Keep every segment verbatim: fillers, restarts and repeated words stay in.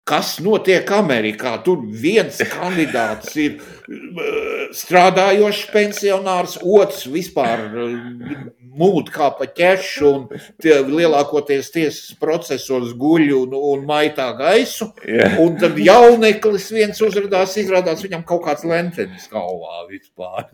kas notiek Amerikā. Tur viens kandidāts ir strādājošs pensionārs, otrs vispār mūd kā pa ķešu un tie, lielākoties tiesas procesos guļ un, un maitā gaisu. Yeah. Un tad jauneklis viens uzradās, izrādās viņam kaut kāds lentenis galvā vispār.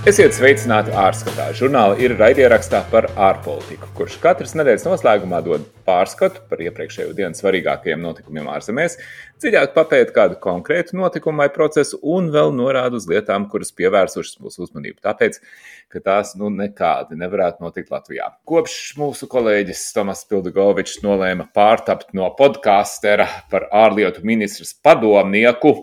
Esiet sveicināti ārskatā. Žurnāli ir raidierakstā par ārpolitiku, kurš katras nedēļas noslēgumā dod pārskatu par iepriekšējo dienu svarīgākajiem notikumiem ārzemēs, dziļāk papēt kādu konkrētu notikumu vai procesu un vēl norāda uz lietām, kuras pievērsušas mūsu uzmanību. Tāpēc, ka tās nu nekādi nevarētu notikt Latvijā. Kopš mūsu kolēģis Tomas Pildugovičs nolēma pārtapt no podkāstera par ārlietu ministras padomnieku,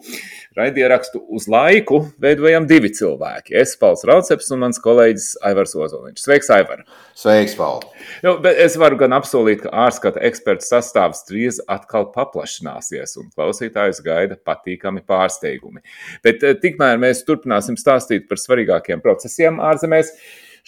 raidierakstu uz laiku veidojam divi cilvēki. Es, Pauls Rauceps un mans kolēģis Aivars Ozoliņš. Sveiks, Aivar! Sveiks, Paul! Nu, bet es varu gan apsolīt, ka ārskata ekspertu sastāvs drīz atkal paplašināsies un klausītājus gaida patīkami pārsteigumi. Bet tikmēr mēs turpināsim stāstīt par svarīgākiem procesiem ārzemēs.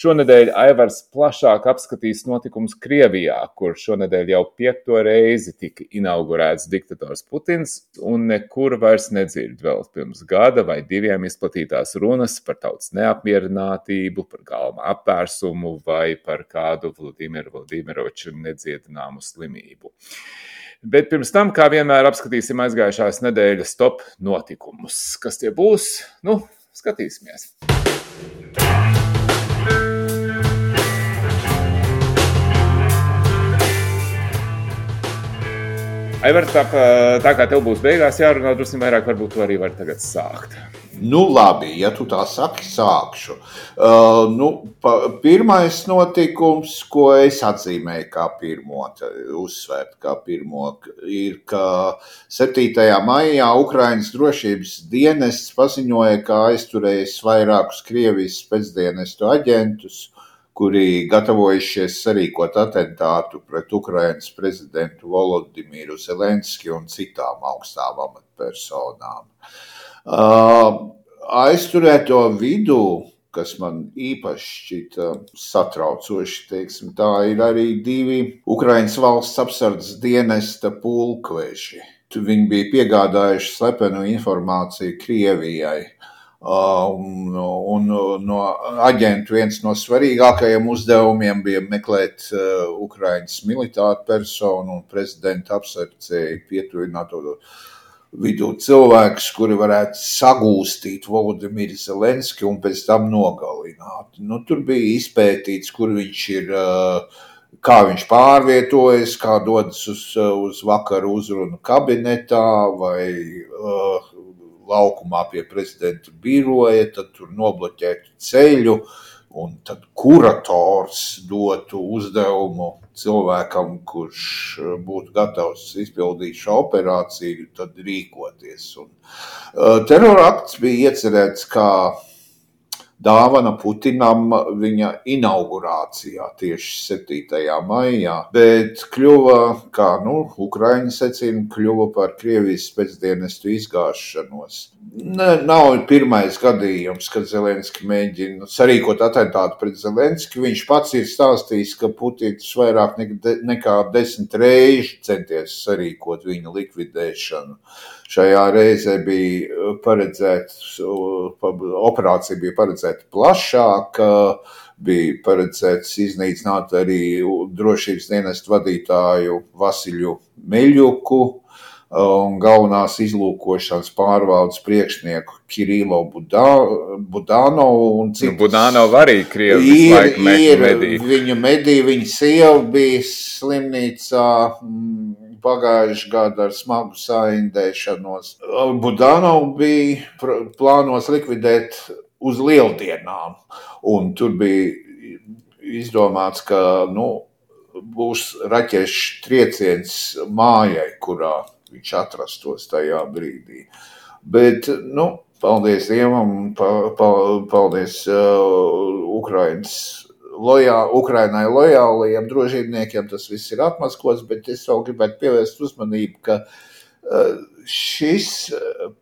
Šonedēļ Aivars plašāk apskatīs notikumus Krievijā, kur šonedēļ jau piekto reizi tika inaugurēts diktators Putins un nekur vairs nedzird vēl pirms gada vai diviem izplatītās runas par tautas neapmierinātību, par galma apvērsumu vai par kādu Vladimiru Vladimiroviču nedziedināmu slimību. Bet pirms tam, kā vienmēr, apskatīsim aizgājušās nedēļas top notikumus. Kas tie būs? Nu, skatīsimies. Aivar, tā, tā kā tev būs beigās jārunā, drusku vairāk, varbūt tu arī vari tagad sākt. Nu labi, ja tu tā saki, sākšu. Uh, nu, pa, pirmais notikums, ko es atzīmēju kā pirmo, uzsvērt kā pirmo, ir, ka septītajā maijā Ukrainas drošības dienests paziņoja, ka aizturējis vairākus Krievijas spēcdienestu aģentus, kuri gatavojušies sarīkot atentātu pret Ukrainas prezidentu Volodimiru Zelenski un citām augstām amatpersonām. Uh, aizturēto vidū, kas man īpaši šķita satraucoši, teiksim, tā ir arī divi Ukrainas valsts apsardzes dienesta pulkveži. Viņi bija piegādājuši slepenu informāciju Krievijai. Uh, un, un no aģentu viens no svarīgākajiem uzdevumiem bija meklēt uh, Ukrainas militāru personu un prezidenta apsardzēji pietuvināto vidū cilvēkus, kuri varētu sagūstīt Volodimiru Zelenski un pēc tam nogalināt. Nu, tur bija izpētīts, kur viņš ir, uh, kā viņš pārvietojas, kā dodas uz, uz vakaru uzrunu kabinetā vai uh, laukumā pie prezidenta biroja, tad tur nobloķētu ceļu, un tad kurators dotu uzdevumu cilvēkam, kurš būtu gatavs izpildīt šo operāciju, tad rīkoties. Un, uh, terorakts bija iecerēts kā dāvana Putinam viņa inaugurācijā tieši septītajā maijā, bet kļuva, kā nu, Ukraiņa secina, kļuva par Krievijas spēcdienestu izgāšanos. Ne, nav pirmais gadījums, kad Zelenski mēģina sarīkot atentātu pret Zelenski. Viņš pats ir stāstījis, ka Putins vairāk nekā desmit reizi centies sarīkot viņa likvidēšanu. Šajā reizē bija paredzēta, operācija bija paredzēta plašāk, bija paredzēts iznīcināt arī drošības dienestu vadītāju Vasiļu Meļuku un galvenās izlūkošanas pārvaldes priekšnieku Kirilo Budanovu un citus. Budanovu arī Krievis laiku medī. Viņu medī, viņa sieva bija slimnīcā pagājuši gadu ar smagu saindēšanos. Budanov bija plānos likvidēt uz lieldienām, un tur bija izdomāts, ka nu, būs raķešu trieciens mājai, kurā viņš atrastos tajā brīdī. Bet, nu, paldies Dievam, pa, pa, paldies uh, Ukrainas lojā, Ukrainai lojālajiem drošībniekiem, tas viss ir atmaskots, bet es vēl gribētu pievērst uzmanību, ka uh, šis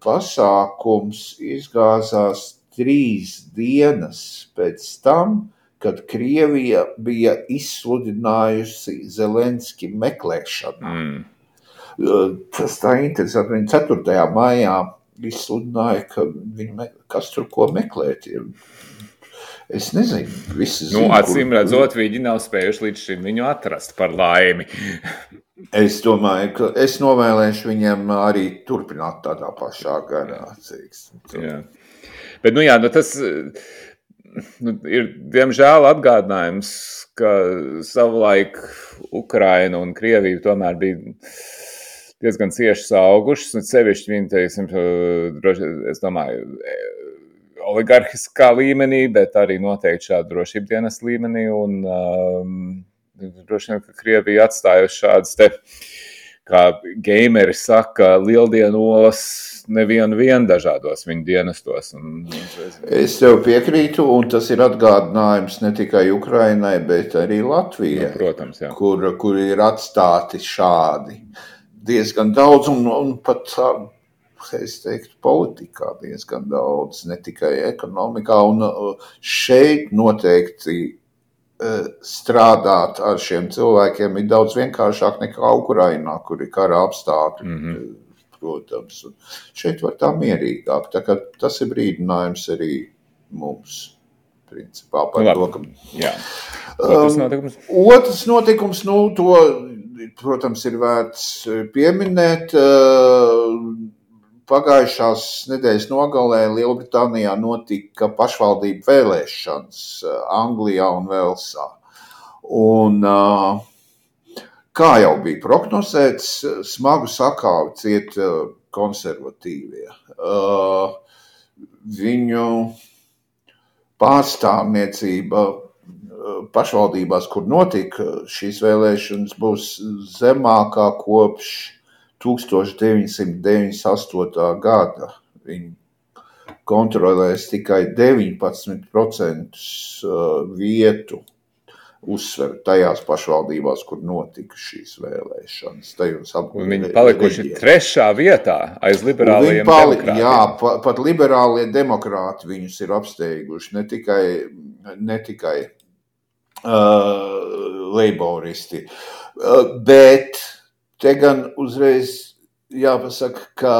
pasākums izgāzās trīs dienas pēc tam, kad Krievija bija izsludinājusi Zelenski meklēšanā. Mm. Tas tā interesanti. Viņa ceturtajā maijā izsludināja, ka viņi, kas tur ko meklēt. Es nezinu, visi zinu. Nu, acīm redzot, viņi nav spējuši līdz šim viņu atrast par laimi. Es domāju, ka es novēlēšu viņiem arī turpināt tādā pašā garā. Jā. Bet, nu jā, nu tas nu, ir, diemžēl, atgādinājums, ka savulaik Ukraina un Krievija tomēr bija diezgan cieši saugušas, un sevišķi viņi, teiksim, es domāju, oligarhiskā līmenī, bet arī noteikti šāda drošības dienas līmenī, un um, droši vien, ka Krievija atstājusi šādas te, kā gameri saka, lieldienolas nevienu vien dažādos viņu dienestos. Un, es tev piekrītu, un tas ir atgādinājums ne tikai Ukrainai, bet arī Latvijai, nu, protams, jā. Kur, kur ir atstāti šādi diezgan daudz, un, un pat, es teiktu, politikā diezgan daudz, ne tikai ekonomikā, un šeit noteikti strādāt ar šiem cilvēkiem ir daudz vienkāršāk nekā Ukrainā, kur ir kara apstākļi, mm-hmm. protams. Un šeit var tā mierīgāk, tā kā tas ir brīdinājums arī mums, principā, par Labi. to, ka... Jā. Otrs notikums? Um, otrs notikums, nu, to, protams, ir vērts pieminēt. Pagājušās nedēļas nogalē Lielbritānijā notika pašvaldību vēlēšanas Anglijā un Velsā. Un, kā jau bija prognozēts, smagu sakāvi ciet konservatīvie. Viņu pārstāvniecība pašvaldībās, kur notika šīs vēlēšanas, būs zemākā kopš tūkstoš deviņsimt deviņdesmit astotā gada. Viņi kontrolēs tikai deviņpadsmit procenti vietu uzsver tajās pašvaldībās, kur notika šīs vēlēšanas. Tajos un viņi palikuši reģiem. Trešā vietā aiz liberālajiem pali, demokrātiem. Jā, pa, pat liberālie demokrāti viņus ir apsteiguši, ne tikai, ne tikai uh, leiboristi. Uh, bet te gan uzreiz jāpasaka, ka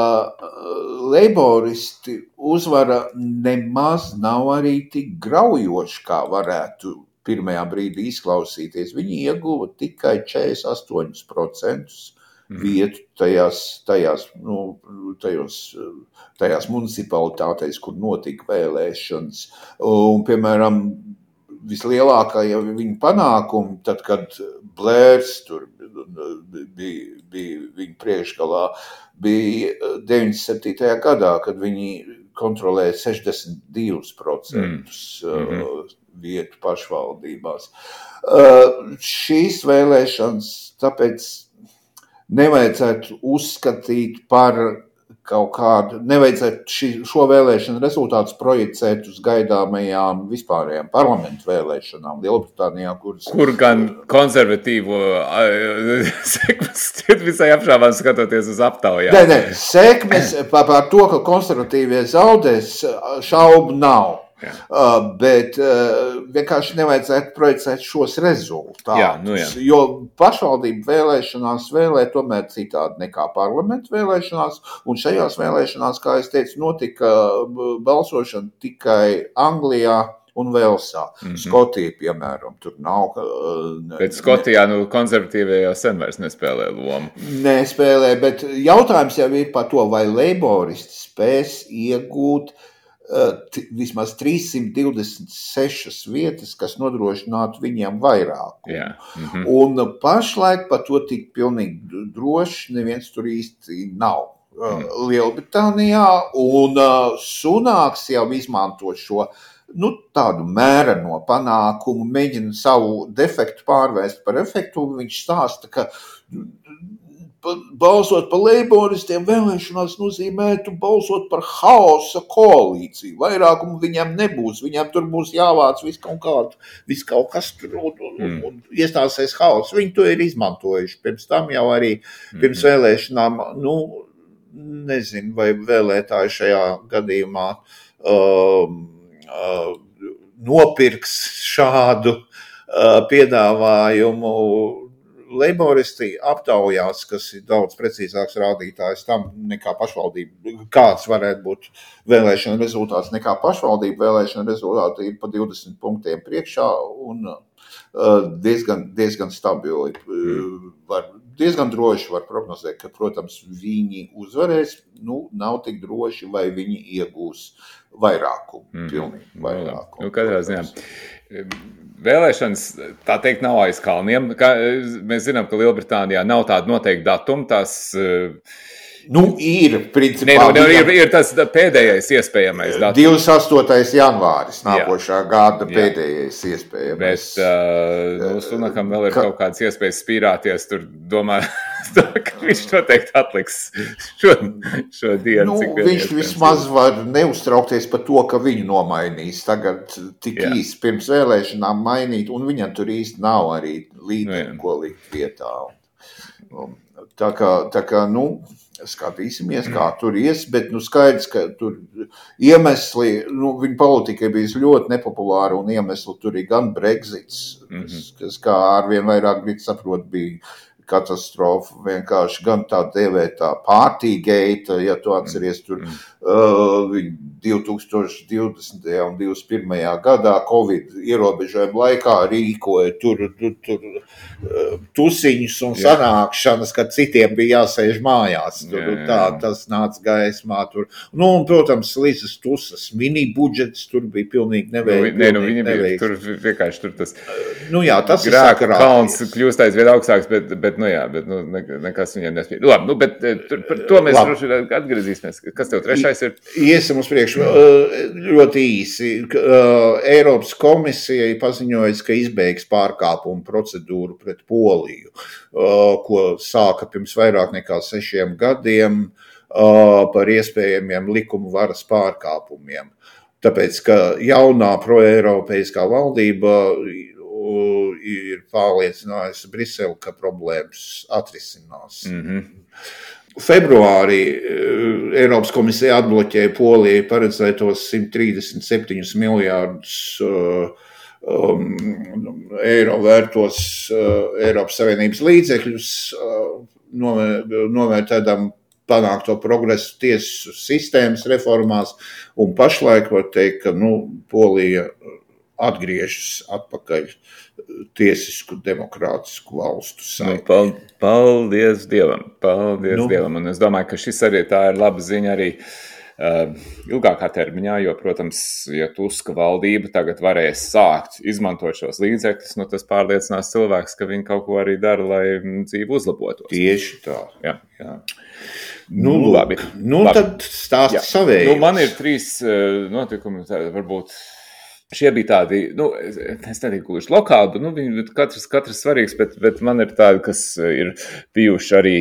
leiboristi uzvara nemaz nav arī tik graujoši, kā varētu pirmajā brīdī izklausīties. Viņi ieguva tikai četrdesmit astoņus procentus vietu tajās, tajās, nu, tajos, tajās municipalitātēs, kur notika vēlēšanas. Un, piemēram, vislielākā viņa panākumi, tad, kad Blērs tur bija, bija viņa priekšgalā, bija deviņdesmit septītajā gadā, kad viņi kontrolēja sešdesmit divus procentus mm. vietu pašvaldībās. Uh, šīs vēlēšanas tāpēc nevajadzētu uzskatīt par kaut kādu, nevajadzētu ši, šo vēlēšanu rezultātus projicēt uz gaidāmajām vispārējām parlamentu vēlēšanām Lielbritānijā, kuras... Kur gan konservatīvo sekmes visai apšāvām skatoties uz aptaujām. Nē, nē, sekmes par, par to, ka konservatīvie zaudēs, šaubu nav. Uh, bet uh, vienkārši nevajadzētu projicēt šos rezultātus, jā, nu jā. Jo pašvaldību vēlēšanās vēlē tomēr citādi nekā parlamentu vēlēšanās, un šajās vēlēšanās, kā es teicu, notika balsošana tikai Anglijā un Velsā. Mm-hmm. Skotija, piemēram, tur nav. Uh, bet Skotijā nu, konservatīvie jau sen vairs nespēlē lomu. Nespēlē, bet jautājums jau ir par to, vai leiboristi spēs iegūt T, vismaz trīssimt divdesmit sešas vietas, kas nodrošinātu viņiem vairākumu. Yeah. Mm-hmm. Un pašlaik par to tik pilnīgi droši neviens tur īsti nav. Mm. Lielbritānijā, un uh, Sunāks jau izmanto šo nu, tādu mēreno panākumu, mēģina savu defektu pārvērst par efektu, un viņš stāsta, ka balsot par leiboristiem vēlēšanās nozīmētu balsot par haosa koalīciju. Vairākumu viņam nebūs, viņam tur būs jāvāc viss kaut kādu, viss kaut kas tur un, un, un iestāsies haoss. Viņi to ir izmantojuši. Pirms tam jau arī, pirms vēlēšanām, nu, nezinu, vai vēlētāji šajā gadījumā um, uh, nopirks šādu uh, piedāvājumu. Leiboristi aptaujās, kas ir daudz precīzāks rādītājs tam nekā pašvaldība, kāds varētu būt vēlēšana rezultāts nekā pašvaldība vēlēšana rezultāti ir pa divdesmit punktiem priekšā un uh, diezgan, diezgan stabili. Uh, var, diezgan droši var prognozēt, ka, protams, viņi uzvarēs, nu, nav tik droši, vai viņi iegūs vairākumu, mm. pilnīgi vairākumu. Nu, katrā ziņā. Vēlēšanas, tā teikt, nav aiz kalniem. Kā, mēs zinām, ka Lielbritānijā nav tāda noteikta datuma. Tās, nu, ir, principā. Ne, nu, ir, ir tas pēdējais iespējamais datums. divdesmit astotais janvāris nākošā jā. Gada pēdējais jā. Iespējamais. Bet uh, nu, Sunakam vēl ir ka... kaut kādas iespējas spīrāties. Tur domā, ka viņš noteikti atliks šo, šo dienu. Nu, viņš vismaz var neuztraukties par to, ka viņu nomainīs. Tagad tik jā. Īsti pirms vēlēšanām mainīt, un viņam tur īsti nav arī līderi, ko likt vietā. Tā kā, tā kā, nu, skatīsimies, kā tur ies, bet, nu, skaidrs, ka tur iemesli, nu, viņa politika ir bijusi ļoti nepopulāra, un iemesli tur ir gan Brexits, mm-hmm. kas, kā arvien vairāk Briti saprot, bija katastrofa, vienkārši gan tā dēvētā Partygate, ja tu atceries tur uh, divi tūkstoši divdesmitajā un divdesmit pirmajā gadā Covid ierobežojumu laikā rīkoja tur, tur, tur uh, tusiņus un jā. Sanākšanas, kad citiem bija jāsēž mājās. Tur, jā, jā. Tā, tas nāca gaismā tur. Nu, un, protams, Līzes Tusas mini budžets tur bija pilnīgi neveiks. Nē, nu, viņi bija tur vienkārši tur tas nu, jā, tas grēka kalns kļūst aizvien augstāks, bet, bet nu jā, bet nu, nekas viņiem nespēja. Labi, nu, bet tur, par to mēs droši atgriezīsimies. Kas tev trešais ir? Iesim uz priekšu ļoti īsi. Eiropas komisija paziņojas, ka izbeigs pārkāpumu procedūru pret Poliju, ko sāka pirms vairāk nekā sešiem gadiem par iespējamiem likumu varas pārkāpumiem. Tāpēc, ka jaunā proeiropeiskā valdība ir pārliecinājusi Briseli, ka problēmas atrisinās. Mm-hmm. Februārī Eiropas komisija atbloķēja Polijai paredzētos simt trīsdesmit septiņus miljārdus um, eiro vērtos uh, Eiropas Savienības līdzekļus, uh, novērtēdam panākto progresu tiesu sistēmas reformās, un pašlaik var teikt, ka nu, Polija atgriežas atpakaļ tiesisku, demokrātisku valstu saiti. Nu, paldies Dievam, paldies nu, Dievam, un es domāju, ka šis arī tā ir laba ziņa arī uh, ilgākā termiņā, jo, protams, ja Tuska valdība tagad varēs sākt izmantot šos līdzekļus, nu tas pārliecinās cilvēks, ka viņi kaut ko arī dara, lai dzīve uzlabotos. Tieši tā. Jā, jā. Nu, nu, labi. Nu, labi. Tad stāsti savējums. Nu, man ir trīs uh, notikumi, tā, varbūt šie bija tādi, nu, es neteiktu, gluži lokāli, bet, nu, viņi katrs, katrs svarīgs, bet, bet man ir tādi, kas ir bijuši arī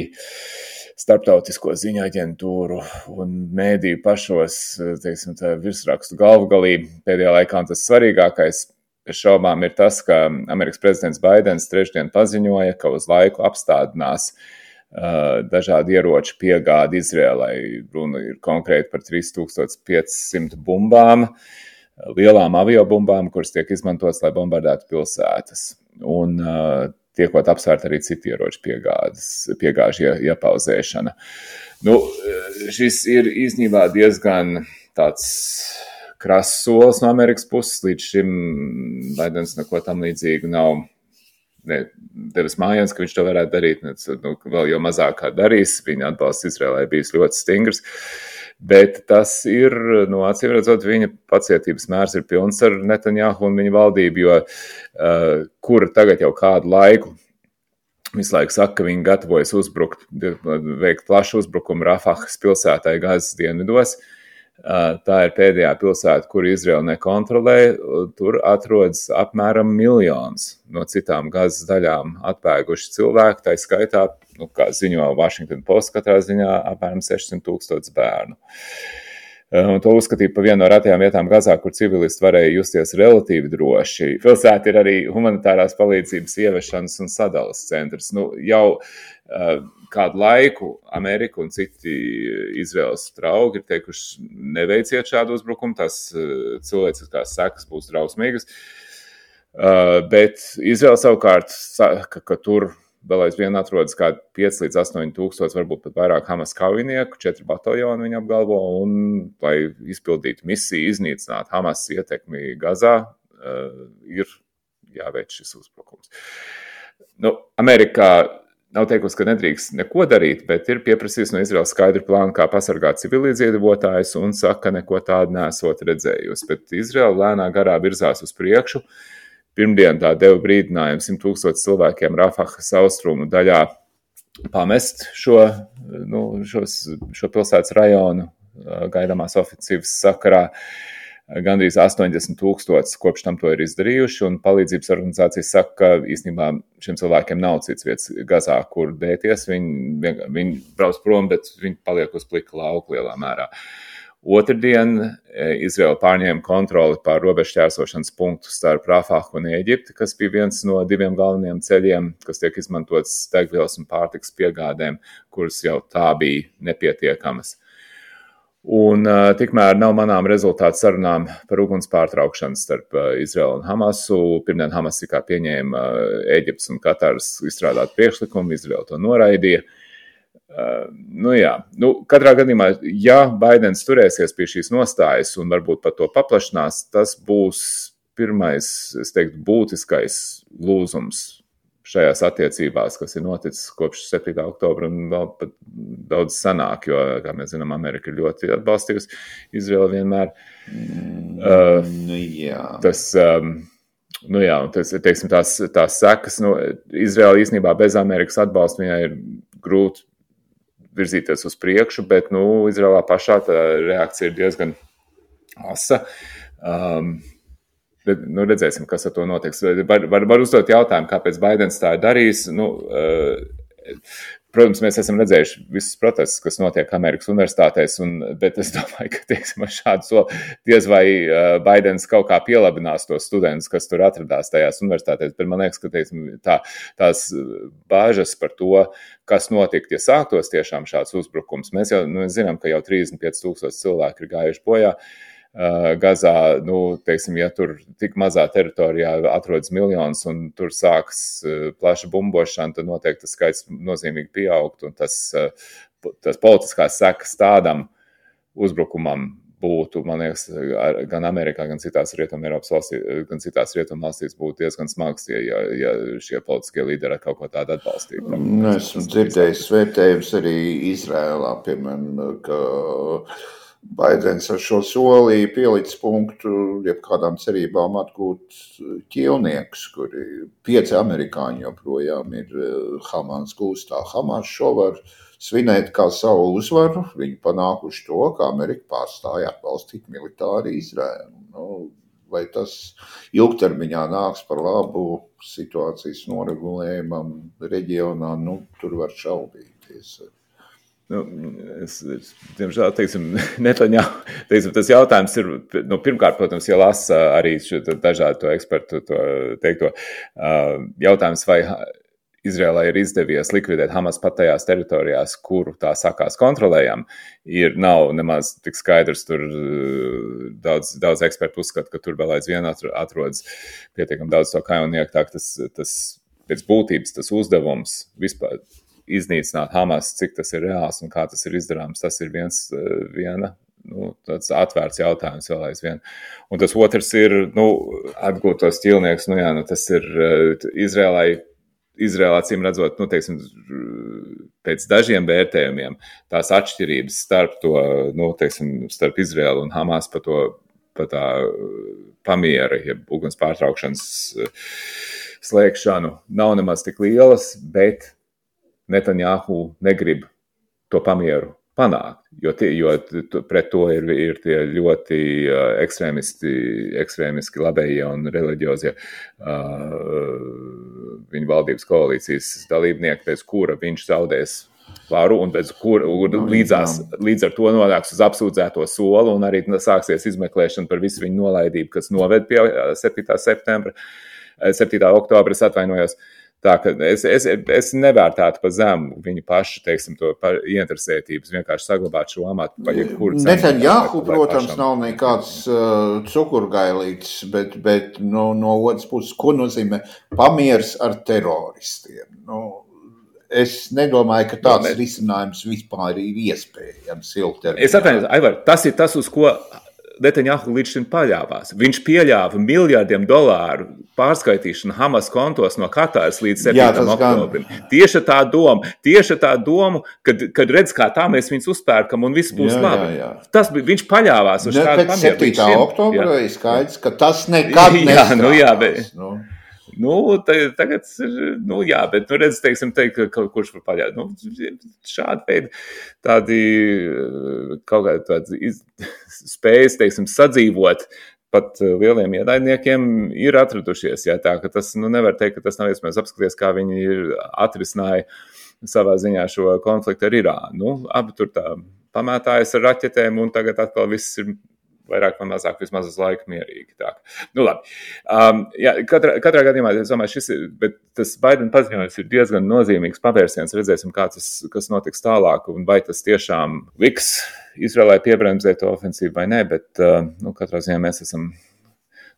starptautisko ziņu aģentūru un mēdīju pašos, teiksim, tā virsrakstu galvgalī pēdējā laikā, un tas svarīgākais šaubām ir tas, ka Amerikas prezidents Baidens trešdien paziņoja, ka uz laiku apstādinās uh, dažādi ieroču piegādi Izrēlai. Runa ir konkrēti par trīs tūkstoši piecsimt bumbām, lielām aviobumbām, kuras tiek izmantotas, lai bombardētu pilsētas. Un uh, tiekot apsvērt arī citi ieroču piegādes, piegāžu iepauzēšana. Nu, šis ir īstenībā diezgan tāds krass solis no Amerikas puses. Līdz šim Baidens neko tam līdzīgu nav ne, devis mājiens, ka viņš to varētu darīt. Ne, nu, vēl jau mazāk kā darīs. Viņa atbalsts Izrēlai bijis ļoti stingrs. Bet tas ir, nu, acīm redzot, viņa pacietības mērs ir pilns ar Netanjahu un viņa valdību, jo uh, kura tagad jau kādu laiku visu laiku saka, ka viņi gatavojas uzbrukt, veikt plašu uzbrukumu Rafahas pilsētai Gazas dienvidos. Uh, tā ir pēdējā pilsēta, kur Izraela nekontrolē. Tur atrodas apmēram miljons no citām Gazas daļām atbēguši cilvēki, tā skaitā, nu, kā ziņo Washington Post, katrā ziņā apmēram sešsimt tūkstoši bērnu. Un to uzskatīja par vienu no retajām vietām Gazā, kur civilisti varēja justies relatīvi droši. Pilsēta ir arī humanitārās palīdzības ievešanas un sadalas centrs. Nu, jau uh, kādu laiku Amerika un citi Izraels draugi ir teikuši, neveiciet šādu uzbrukumu, tās uh, cilvēciskās sekas būs drausmīgas. Uh, bet Izraela savukārt saka, ka tur vēl aizvien atrodas kā pieci līdz astoņi tūkstoši, varbūt pat vairāk Hamas kaujinieku, četri bataljoni viņa apgalvo, un, lai izpildītu misiju, iznīcināt Hamas ietekmi Gazā, uh, ir jāveic šis uzbrukums. Nu, Amerikā nav teikusi, ka nedrīkst neko darīt, bet ir pieprasījis no Izraels skaidru plānu, kā pasargāt civiliedzīvotājus, un saka, ka neko tādu nesot redzējusi. Bet Izraela lēnā garā virzās uz priekšu. Pirmdien tā deva brīdinājumu simt tūkstoši cilvēkiem Rafahas austrumu daļā pamest šo, nu, šos, šo pilsētas rajonu gaidāmās ofensīvas sakarā. Gandrīz astoņdesmit tūkstoši kopš tam to ir izdarījuši, un palīdzības organizācijas saka, ka īstenībā šiem cilvēkiem nav cits vietas Gazā, kur dēties. Viņi, viņi brauc prom, bet viņi paliek uz plika lauka lielā mērā. Otrdien Izraela pārņēma kontroli pār robežšķērsošanas punktu starp Rafahu un Ēģipti, kas bija viens no diviem galvenajiem ceļiem, kas tiek izmantots degvielas un pārtikas piegādēm, kuras jau tā bija nepietiekamas. Un uh, tikmēr nav manām rezultātu sarunām par uguns pārtraukšanu starp uh, Izraelu un Hamasu. Pirmdien Hamas tikā pieņēma uh, Ēģiptes un Katāras izstrādāt priekšlikumu, Izraela to noraidīja. Uh, nu jā, nu, katrā gadījumā, ja Baidens turēsies pie šīs nostājas un varbūt pat to paplašinās, tas būs pirmais, es teiktu, būtiskais lūzums šajās attiecībās, kas ir noticis kopš septītā oktobra un vēl pat daudz sanāk, jo, kā mēs zinām, Amerika ir ļoti atbalstījusi Izraelu vienmēr. Uh, nu, jā. Tas, um, nu jā, tas, teiksim, tās, tās sekas, nu, Izraela īstenībā bez Amerikas atbalsta viņai ir grūti virzīties uz priekšu, bet, nu, Izraelā pašā tā reakcija ir diezgan asa. Um, bet, nu, redzēsim, kas ar to notiks. Var, var, var uzdot jautājumu, kāpēc Baidens tā ir darījis. Nu, uh, protams, mēs esam redzējuši visus protestus, kas notiek Amerikas universitātēs, un, bet es domāju, ka, teiksim, ar šādu soli diez vai uh, Baidens kaut kā pielabinās tos studentus, kas tur atradās tajās universitātēs, bet man liekas, ka, teiksim, tā, tās bāžas par to, kas notikt, ja sāktos tiešām šāds uzbrukums. Mēs jau nu, zinām, ka jau trīsdesmit pieci tūkstoši cilvēki ir gājuši bojā uh, Gazā. Nu, teiksim, ja tur tik mazā teritorijā atrodas miljonus un tur sāks uh, plaša bumbošana, tad noteikti tas skaits nozīmīgi pieaugt, un tas, uh, tas politiskās sekas tādam uzbrukumam būtu, man liekas, gan Amerikā, gan citās Rietumu Eiropas valstīs, gan citās Rietumu valstīs būtu diezgan smags, ja, ja šie politiskie līderi kaut ko tādu atbalstītu. Nu, esmu dzirdējis vērtējums arī Izrēlā, piemēram, ka Baidens ar šo soli pielicis punktu jebkādām cerībām atgūt ķīlniekus, kuri pieci amerikāņi joprojām ir Hamas gūstā. Hamas šo var svinēt kā savu uzvaru, viņi panākuši to, ka Amerika pārstāja atbalstīt militāri Izraēlu. Nu, vai tas ilgtermiņā nāks par labu situācijas noregulējumam reģionā, nu, tur var šaubīties. Nu, es, es, diemžēl, teiksim, Netaņā, teiksim, tas jautājums ir, nu, pirmkārt, protams, ja lasa arī dažādu to ekspertu to teikto, jautājums, vai Izrēlai ir izdevies likvidēt Hamas pat tajās teritorijās, kuru tā sakās kontrolējam, ir nav nemaz tik skaidrs, tur daudz, daudz ekspertu uzskata, ka tur vēl aizvien atrodas pietiekami daudz to kaujinieku, tā ka tas, tas pēc būtības tas uzdevums vispār iznīcināt Hamas, cik tas ir reāls un kā tas ir izdarāms, tas ir viens, viena, nu, tāds atvērts jautājums vēl aizvien. Un tas otrs ir, nu, atgūt tos ķīlniekus, nu jā, nu, tas ir Izrēlai, Izrēlā, acīm redzot, nu, teiksim, pēc dažiem vērtējumiem tās atšķirības starp to, nu, teiksim, starp Izrēlu un Hamas pa to, pa tā pamiera, ja uguns pārtraukšanas slēgšanu nav nemaz tik lielas, bet Netanjahu negrib to pamieru panākt, jo, tie, jo pret to ir, ir tie ļoti uh, ekstrēmisti, ekstrēmiski labējie un reliģiozie uh, viņa valdības koalīcijas dalībnieki, pēc kura viņš zaudēs varu un bez kur, un līdzās, līdz ar to nonāks uz apsūdzēto soli un arī sāksies izmeklēšana par visu viņu nolaidību, kas noved pie septītā septembra, septītā oktobra, es atvainojos. Tā, ka es, es, es nevērtētu pa zemu viņu pašu, teiksim, to par ieinteresētības, vienkārši saglabāt šo amatu pa jebkuru cenu. Netanjahu, protams, nav nekāds uh, cukurgailīts, bet, bet no, no otras puses, ko nozīmē pamiers ar teroristiem? Nu, es nedomāju, ka tāds no, risinājums vispār ir iespējams ilgtermiņā. Es atvainojos, Aivar, tas ir tas, uz ko Netanjahu līdz šim paļāvās. Viņš pieļāva miljardiem dolāru pārskaitīšanu Hamas kontos no Katāras līdz septītajam oktobrim. Tieši tā doma, tieši tā doma, kad, kad redz, kā tā mēs viņus uzpērkam un viss būs jā, labi. Jā, jā. Tas bija, viņš paļāvās uz ne, tādu pamieru. septītā oktobra ir skaidrs, ka tas nekad nestrādās. Nu, jā, bet... Nu. Nu, tagad, nu jā, bet, nu redz, teiksim, teikt, ka kurš var paļāt. Nu, šādi veidi tādi kaut kādi tādi iz, spējas, teiksim, sadzīvot pat lieliem ienaidniekiem ir atradušies, jā, tā, ka tas, nu, nevar teikt, ka tas nav iespējams apskaties, kā viņi ir atrisināja savā ziņā šo konfliktu ar Irānu. Nu, abi tur tā pamētājas ar raķetēm un tagad atkal viss ir vairāk vai mazāk vismaz uz laiku mierīgi. Tā. Nu, labi. Um, jā, katrā, katrā gadījumā, es domāju, šis ir, bet tas Baidena paziņojums ir diezgan nozīmīgs pavērsiens. Redzēsim, kā tas, kas notiks tālāk un vai tas tiešām liks Izraēlai piebremzēt to ofensīvu vai ne, bet uh, nu, katrā ziņā mēs esam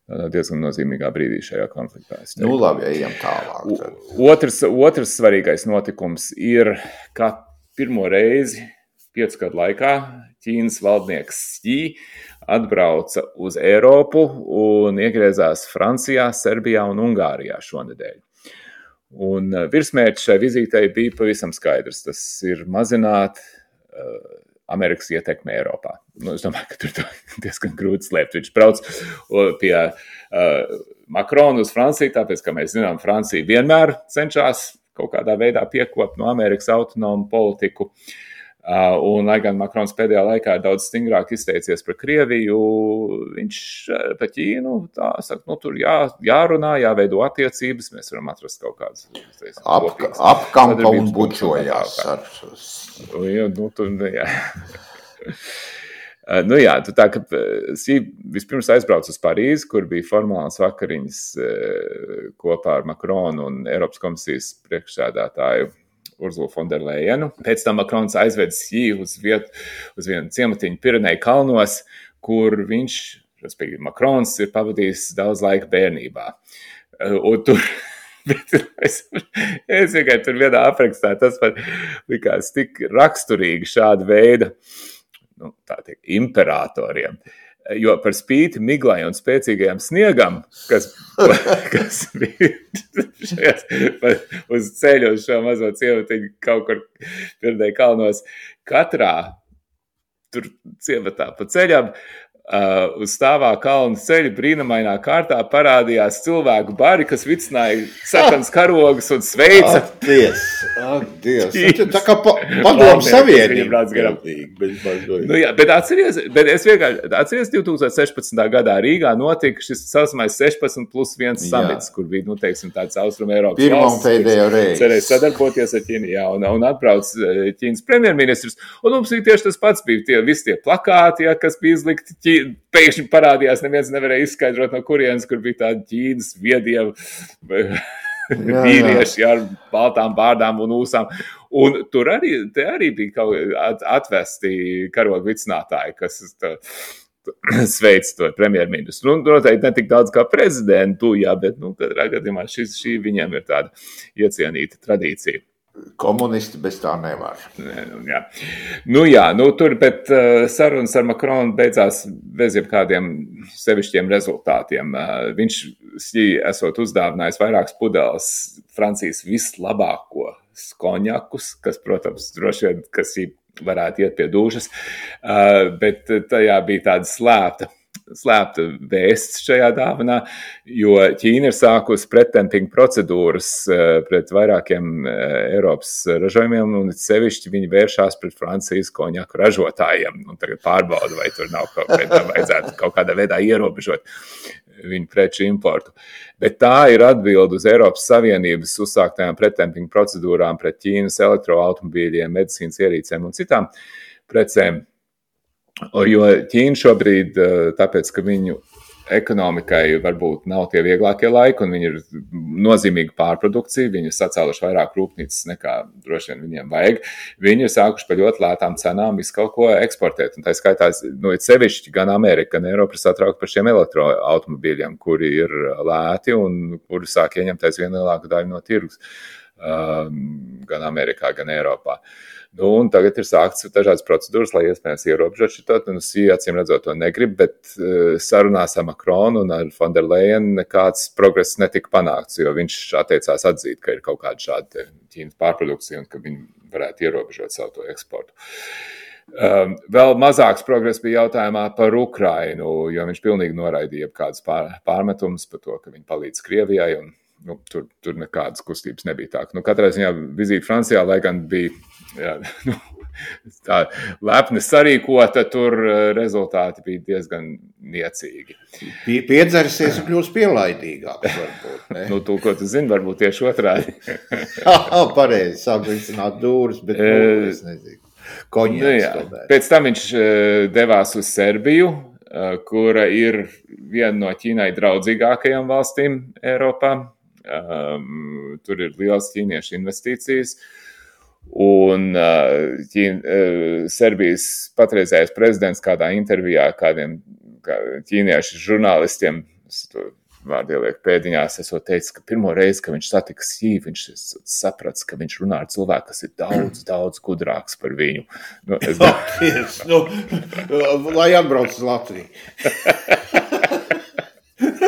diezgan nozīmīgā brīdī šajā konfliktā. Nu, labi, ejam tālāk. Tad. Otrs, otrs svarīgais notikums ir, ka pirmo reizi piecu gadu laikā Ķīnas valdnieks Xi atbrauca uz Eiropu un iegriezās Francijā, Serbijā un Ungārijā šonedēļ. Un virsmērķis šai vizītei bija pavisam skaidrs. Tas ir mazināt uh, Amerikas ietekmi Eiropā. Nu, es domāju, ka tur diezgan grūti slēpt. Viņš brauc pie uh, Makrona uz Franciju, tāpēc, ka mēs zinām, Francija vienmēr cenšas kaut kādā veidā piekopt no Amerikas autonomu politiku. Uh, un, lai gan Makrons pēdējā laikā ir daudz stingrāk izteicies par Krieviju, viņš par Ķīnu tā saka, nu tur jā, jārunā, jāveido attiecības, mēs varam atrast kaut kādas Ap, apkampa un bučojās. Ar... Jā, nu, tur, jā. Nu jā, tā ka vispirms aizbrauc uz Parīzi, kur bija formālas vakariņas kopā ar Makronu un Eiropas komisijas priekšsēdētāju Urzulu Fonderlejenu. Pēc tam Makrons aizved Xi uz vietu, uz vienu ciematiņu Pireneju kalnos, kur viņš, respektīvi Makrons, ir pavadījis daudz laika bērnībā. Un tur, bet es, es vienkārši tur vienā aprakstā, tas man likās tik raksturīgi šāda veida, nu, tā tiek, imperatoriem. Jo par spīti miglai un spēcīgajam sniegam, kas, kas bija šajās, uz ceļu uz šo mazo ciematiņu kaut kur Pireneju kalnos, katrā tur ciematā pa ceļam, uh, uz stāvā kalnu ceļu brīnumainā kārtā parādījās cilvēku bari, kas vicināja sarkanas karogus un sveica. Ak, Dievs, ak, Dievs. Tā kā pa, padomu savienība. Nu jā, bet atceries, bet es vienkārši, atceries divi tūkstoši sešpadsmitā gadā Rīgā notika šis saucamais sešpadsmit plus viens samits, kur bija, nu, teiksim, tāds Austrum Eiropas Pirmo valsts. Pirmo pēdējo reizi. Cerēja sadarboties ar Ķīnu, jā, un, un atbrauc Ķīnas premjerministrs. Un mums bija tieši tas pats, bija tie, visi tie plakāti, ja, kas bija izlikti Ķīna. Pēkšņi parādījās, neviens nevarēja izskaidrot, no kurienes, kur bija tādi Ķīnas viediem vīrieši ar baltām bārdām un ūsām. Un tur arī, te arī bija kaut atvesti karogu vicinātāji, kas tā, sveic to premjerministru. Nu, noteikti ne tik daudz kā prezidentu, jā, bet, nu, katrā gadījumā šis, šī viņiem ir tāda iecienīta tradīcija. Komunisti bez tā nevar. Jā. Nu jā, nu tur, bet uh, sarunas ar Makronu beidzās bez jebkādiem sevišķiem rezultātiem. Uh, viņš Xi esot uzdāvinājis vairākas pudeles Francijas vislabāko konjakus, kas, protams, droši vien, kas Xi varētu iet pie dūšas, uh, bet tajā bija tāda slēpta. slēpta vēsts šajā dāvanā, jo Ķīna ir sākusi pretdempinga procedūras pret vairākiem Eiropas ražojumiem, un sevišķi viņi vēršās pret Francijas konjaku ražotājiem. Un tagad pārbauda, vai tur nav kaut kādā vajadzētu kaut kādā veidā ierobežot viņu preču importu. Bet tā ir atbilde uz Eiropas Savienības uzsāktajām pretdempinga procedūrām pret Ķīnas elektroautomobīļiem, medicīnas ierīcēm un citām precēm. Jo Ķīna šobrīd, tāpēc, ka viņu ekonomikai varbūt nav tie vieglākie laiki, un viņi ir nozīmīga pārprodukcija, viņi ir sacēluši vairāk rūpnīcas nekā droši vien viņiem vajag. Viņi ir sākuši par ļoti lētām cenām visu kaut ko eksportēt, un tā skaitā, nu, ir sevišķi gan Amerika, gan Eiropa ir satraukti par šiem elektroautomobīļiem, kuri ir lēti un kuri sāk ieņemt aizvien lielāku daļu no tirgus, gan Amerikā, gan Eiropā. Nu, un tagad ir sākts dažādas procedūras, lai iespējams ierobežot šito, un Sija acīm redzot to negrib, bet sarunās ar Makronu un ar von der Leyen nekāds progress netika panākts, jo viņš atteicās atzīt, ka ir kaut kāda šāda Ķīnas pārprodukcija un ka viņi varētu ierobežot savu to eksportu. Um, vēl mazāks progress bija jautājumā par Ukrainu, jo viņš pilnīgi noraidīja kādas pār, pārmetumus par to, ka viņi palīdz Krievijai, un nu, tur, tur nekādas kustības nebija tā. Nu, katrā ziņā vizīte Francijā, lai gan bija jā, nu, tā lepni sarīkota, tur rezultāti bija diezgan niecīgi. Piedzersies un kļūs pielaidīgāks, varbūt, ne? Nu, tu, ko tu zini, varbūt tieši otrādi. Pareizi, sāk vicināt dūrus, bet, nu, es nezinu, koņieks nu, tomēr. Pēc tam viņš devās uz Serbiju, kura ir viena no Ķīnai draudzīgākajām valstīm Eiropā. Um, tur ir liels ķīniešu investīcijas, un uh, Ķīn, uh, Serbijas patreizējais prezidents kādā intervijā kādiem kā ķīniešu žurnālistiem, vārdu ieliek pēdiņās, esot teicis, ka pirmo reizi, ka viņš satika Sī, viņš saprats, ka viņš runā ar cilvēku, kas ir daudz, daudz gudrāks par viņu. Nu, es... Paldies, nu, lai atbrauc uz Latviju.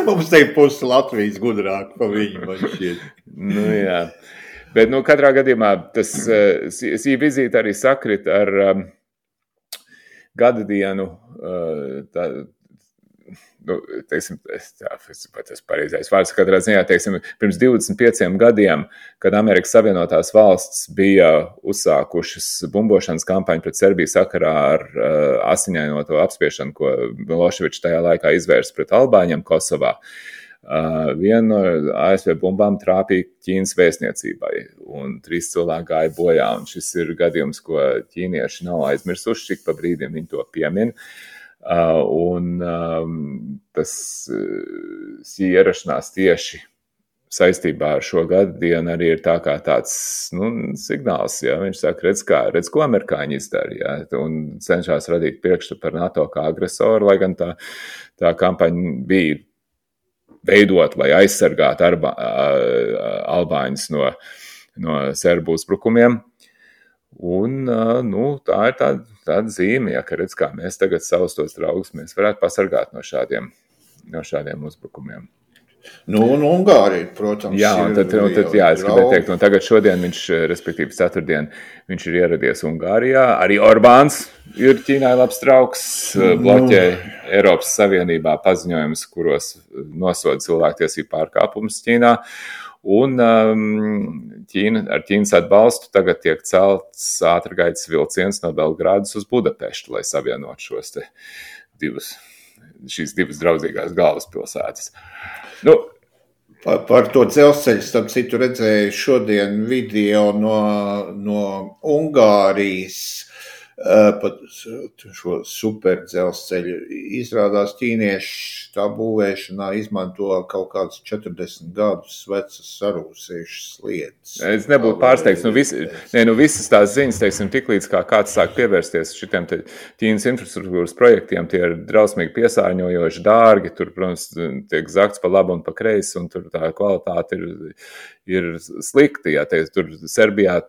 Mums te pusi Latvijas gudrāk pa viņu, man šķiet. Nu, jā. Bet, nu, katrā gadījumā tas Sī vizīte arī sakrit ar um, gada dienu, uh, tā, nu, teiksim, tā, tas pareizais vārds, katrā ziņā, teiksim, pirms divdesmit pieciem gadiem, kad Amerikas Savienotās valsts bija uzsākušas bumbošanas kampaņu pret Serbiju sakarā ar uh, asiņainoto apspiešanu, ko Miloševičs tajā laikā izvērsa pret albāņiem Kosovā. Uh, viena no A S V bumbām trāpīja Ķīnas vēstniecībai, un trīs cilvēki gāja bojā, un šis ir gadījums, ko ķīnieši nav aizmirsuši, cik pa brīdim viņi to piemin. Uh, un um, tas uh, ierašanās tieši saistībā ar šo gadu dienu arī ir tā kā tāds, nu, signāls, ja viņš saka, redz, kā, redz, ko amerikāņi izdara, ja, un cenšas radīt priekšstatu par NATO kā agresoru, lai gan tā, tā kampaņa bija veidot, lai aizsargātu arba, albāņus no, no serbu uzbrukumiem. Un, nu, tā ir tāda, tāda zīme, ja, ka redz, kā mēs tagad savus tos draugus mēs varētu pasargāt no šādiem, no šādiem uzbrukumiem. Nu, un Ungārija, protams, jā, un tad, un tad, jā, es gribēju teikt, un tagad šodien viņš, respektīvi ceturtdien, viņš ir ieradies Ungārijā. Arī Orbāns ir Ķīnai labs draugs, bloķē Eiropas Savienībā paziņojumus, kuros nosoda cilvēktiesību pārkāpumus Ķīnā. Un um, Ķīna, ar Ķīnas atbalstu tagad tiek celts ātrgaitas vilciens no Belgrādas uz Budapeštu, lai savienot šos te divus, šīs divas draudzīgās galvaspilsētas. Nu, par, par to dzelzceļu, starp citu, redzēju šodien video no, no Ungārijas, pat šo super dzelzceļu. Izrādās ķīnieši tā būvēšanā izmanto kaut kādas četrdesmit gadus vecas sarūsējušas lietas. Es nebūtu pārsteigts, nu, vis, ne, nu visas tās ziņas, teiksim, tiklīdz kā kāds sāk pievērsties šitiem te Ķīnas infrastruktūras projektiem, tie ir drausmīgi piesārņojoši, dārgi, tur, protams, tiek zakts pa labu un pa kreisi, un tur tā kvalitāte ir, ir slikta, ja teiks, tur Serbijā.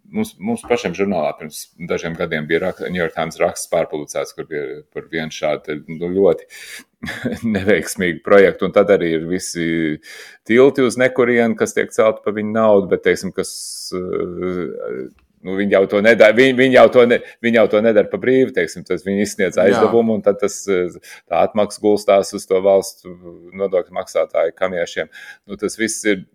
Mums, mums pašiem žurnālā pirms dažiem gadiem bija New York Times raksts pārpublicēts, kur bija par vienu šādu nu, ļoti neveiksmīgu projektu, un tad arī ir visi tilti uz nekurienu, kas tiek celti pa viņu naudu, bet, teiksim, kas, nu, viņi jau to nedara, viņi, viņi jau to, ne, viņi jau to nedara pa brīvi, teiksim, tas viņi izsniedz aizdevumu, un tad tas, tā atmaksa gulstās uz to valstu nodokļu maksātāju kamiešiem. Nu, tas viss ir...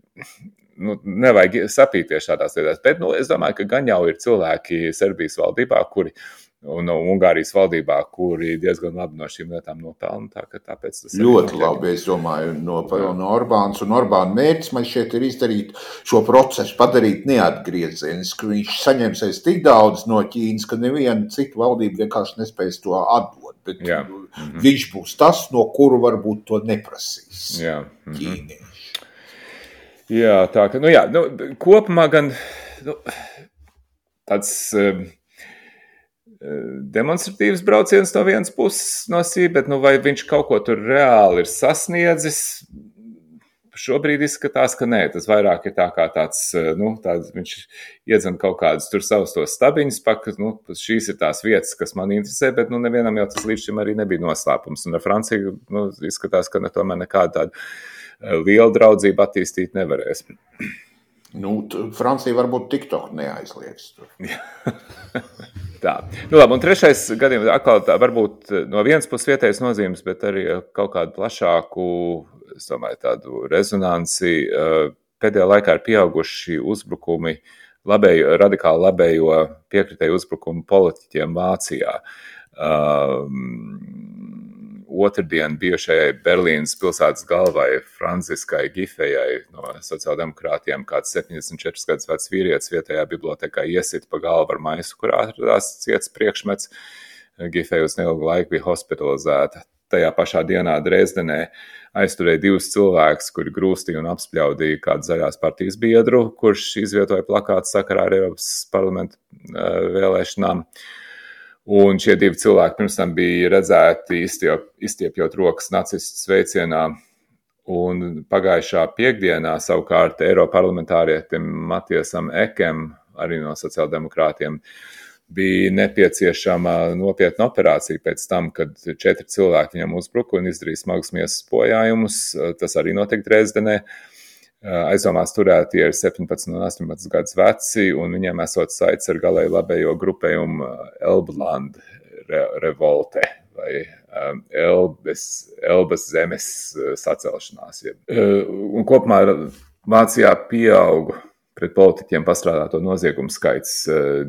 Nu, nevajag sapīties šādās lietās, bet nu, es domāju, ka gan jau ir cilvēki Serbijas valdībā, kuri un no Ungārijas valdībā, kuri diezgan labi no šīm lietām nopelna. Tā, ka tāpēc tas ļoti labi, es domāju, nopelna Orbāns. Un Orbāna mērķis man šeit ir izdarīt šo procesu, padarīt neatgriezenisku. Viņš saņemsies tik daudz no Ķīnas, ka neviena cita valdība vienkārši nespēs to atdot. Bet Jā. Mm-hmm. viņš būs tas, no kuru varbūt to neprasīs Jā. Mm-hmm. ķīnieši. Jā, tā ka, nu jā, nu, kopumā gan nu, tāds... Um, demonstratīvs brauciens no vienas puses no sī, bet nu, vai viņš kaut ko tur reāli ir sasniedzis? Šobrīd izskatās, ka nē, tas vairāk ir tā kā tāds, nu, tāds viņš iedzen kaut kādus tur savus tos stabiņus, pakas, nu, šīs ir tās vietas, kas man interesē, bet nu, nevienam jau tas līdz šim arī nebija noslēpums. Un ar Franciju, nu, izskatās, ka ne, tomēr nekāda tāda liela draudzība attīstīt nevarēs. Nu, Francija varbūt TikTok neaizliegs tur. Tā. Nu labi, un trešais gadījums atkal tā, varbūt no vienas puses vietējas nozīmes, bet arī kaut kādu plašāku, es domāju, tādu rezonanci. Pēdējā laikā ir pieauguši uzbrukumi, labējo, radikāli labējo piekritēju uzbrukumu politiķiem Vācijā. Um, Otrdien bijušajai Berlīnas pilsētas galvai Franciskai Gifejai no sociāldemokrātiem kāds septiņdesmit četras gadus vecs vīrietis vietējā bibliotekā iesit pa galvu ar maisu, kurā atradās ciets priekšmets. Gifeja uz neilgu laiku bija hospitalizēta. Tajā pašā dienā Dresdenē aizturēja divus cilvēkus, kuri grūstīja un apspļaudīja kādu zaļās partijas biedru, kurš izvietoja plakātu sakarā ar Eiropas parlamentu uh, vēlēšanām. Un šie divi cilvēki pirms tam bija redzēti izstiep, izstiepjot rokas nacistu sveicienā. Un pagājušā piekdienā savukārt Eiroparlamentārietim Matiesam Ekem, arī no sociāldemokrātiem, bija nepieciešama nopietna operācija pēc tam, kad četri cilvēki viņam uzbruka un izdarīja smagus miesas bojājumus. Tas arī notika Dresdenē. Aizdomās turētie ir septiņpadsmit un astoņpadsmit gadus veci, un viņiem esot saites ar galēji labējo grupējumu Elbland revolte vai Elbes, Elbas zemes sacelšanās. Un kopumā Vācijā pieauga pret politiķiem pastrādāto noziegumu skaits.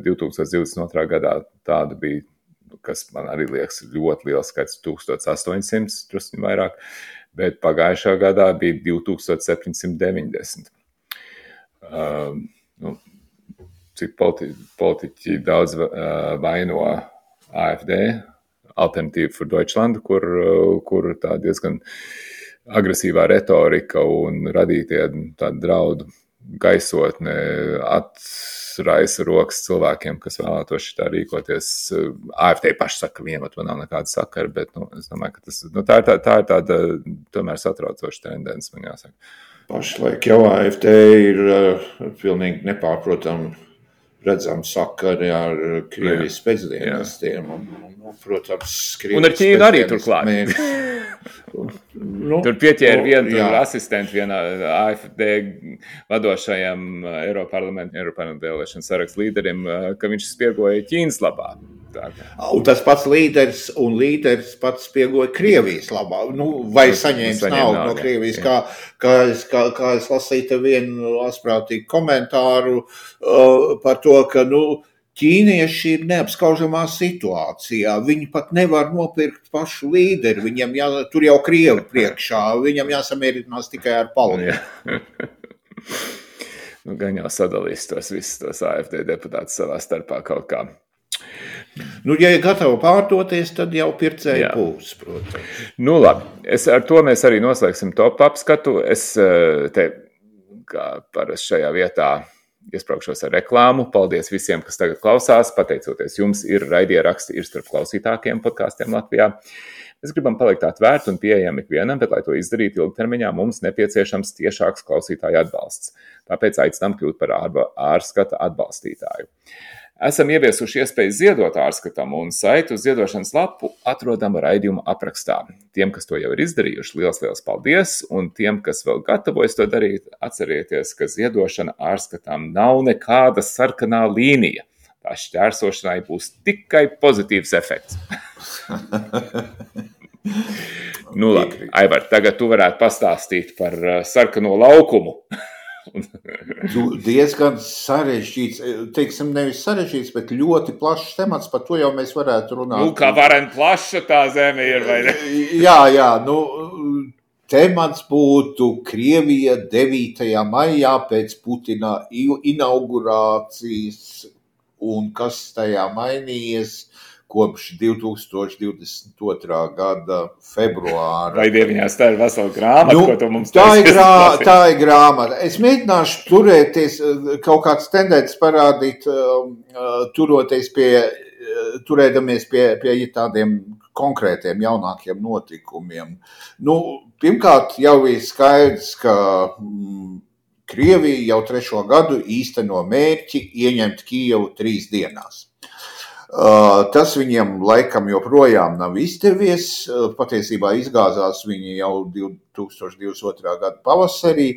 divi tūkstoši divdesmit otrā gadā tāda bija, kas man arī liekas ļoti liels skaits, tūkstoš astoņsimt, drusku vairāk. Bet pagājušā gadā bija divi tūkstoši septiņsimt deviņdesmit. Uh, nu, cik politi- politiķi daudz uh, vaino A F D, Alternatīva für Deutschland, kur, uh, kur tā diezgan agresīvā retorika un radītie tādu draudu gaisotne atraisa rokas cilvēkiem, kas vēlētos šitā rīkoties. A F D paši saka, ka vienam to nav nekāda sakara, bet nu, es domāju, ka tas, nu, tā, ir tā, tā ir tāda tomēr satraucoša tendence, man jāsaka. Pašlaik jau A F D ir uh, pilnīgi nepārprotami redzami sakari ar Krievijas spēcdienestiem. Un, un, protams, Krievijas un ar Ķīnu arī turklāt. Nu, tur pieķēra vienu asistentu vienā A F D vadošajam Eiroparlamentu Eiroparlamentu vēlēšanu sarakstu līderim, ka viņš spiegoja Ķīnas labā. Tā. Un tas pats līderis un līderis pats spiegoja Krievijas labā. Nu, vai saņēmis naudu no Krievijas, kā, kā, es, kā, kā es lasīju te vienu asprātīgu komentāru uh, par to, ka, nu, ķīnieši ir neapskaužamā situācijā. Viņi pat nevar nopirkt pašu līderi. Viņam jā, tur jau Krievi priekšā. Viņam jāsamierinās tikai ar palīdzību. Nu, gan jau sadalīs tos visus tos A F D deputātus savā starpā kaut kā. Nu, ja ir gatavi pārdoties, tad jau pircēji būs, protams. Nu, labi. Es, ar to mēs arī noslēgsim top apskatu. Es te, kā parasti šajā vietā, iespraukšos ar reklāmu. Paldies visiem, kas tagad klausās. Pateicoties jums, ir raidieraksti, ir starp klausītākiem podkāstiem Latvijā. Mēs gribam palikt atvērti un pieejami ikvienam, bet, lai to izdarītu ilgtermiņā, mums nepieciešams tiešāks klausītāju atbalsts. Tāpēc aicinām kļūt par ārskata atbalstītāju. Esam ieviesuši iespēju ziedot ārskatam, un saitu uz ziedošanas lapu atrodam raidījuma aprakstā. Tiem, kas to jau ir izdarījuši, liels, liels paldies, un tiem, kas vēl gatavojas to darīt, atcerieties, ka ziedošana ārskatām nav nekāda sarkanā līnija. Tā šķērsošanai būs tikai pozitīvs efekts. Nu labi, Aivar, tagad tu varētu pastāstīt par sarkano laukumu. Diezgan sarežģīts, teiksim, nevis sarežģīts, bet ļoti plašs temats, par to jau mēs varētu runāt. Nu, kā varen plaša tā zeme ir, vai ne? Jā, jā, nu, temats būtu Krievija devītajā maijā pēc Putina inaugurācijas un kas tajā mainījies kopš divi tūkstoši divdesmit otrā gada februāra. Vai dieviņās tā ir vesela grāmata, nu, ko tu mums tā ir, grā, tā ir grāmata. Es mēģināšu turēties, kaut kāds tendences parādīt, turoties pie, turēdamies pie, pie tādiem konkrētiem jaunākiem notikumiem. Nu, pirmkārt, jau ir skaidrs, ka mm, Krievija jau trešo gadu īsteno mērķi ieņemt Kijevu trīs dienās. Uh, tas viņiem laikam joprojām nav izdevies, uh, patiesībā izgāzās viņi jau divi tūkstoši divdesmit otrā gada pavasarī,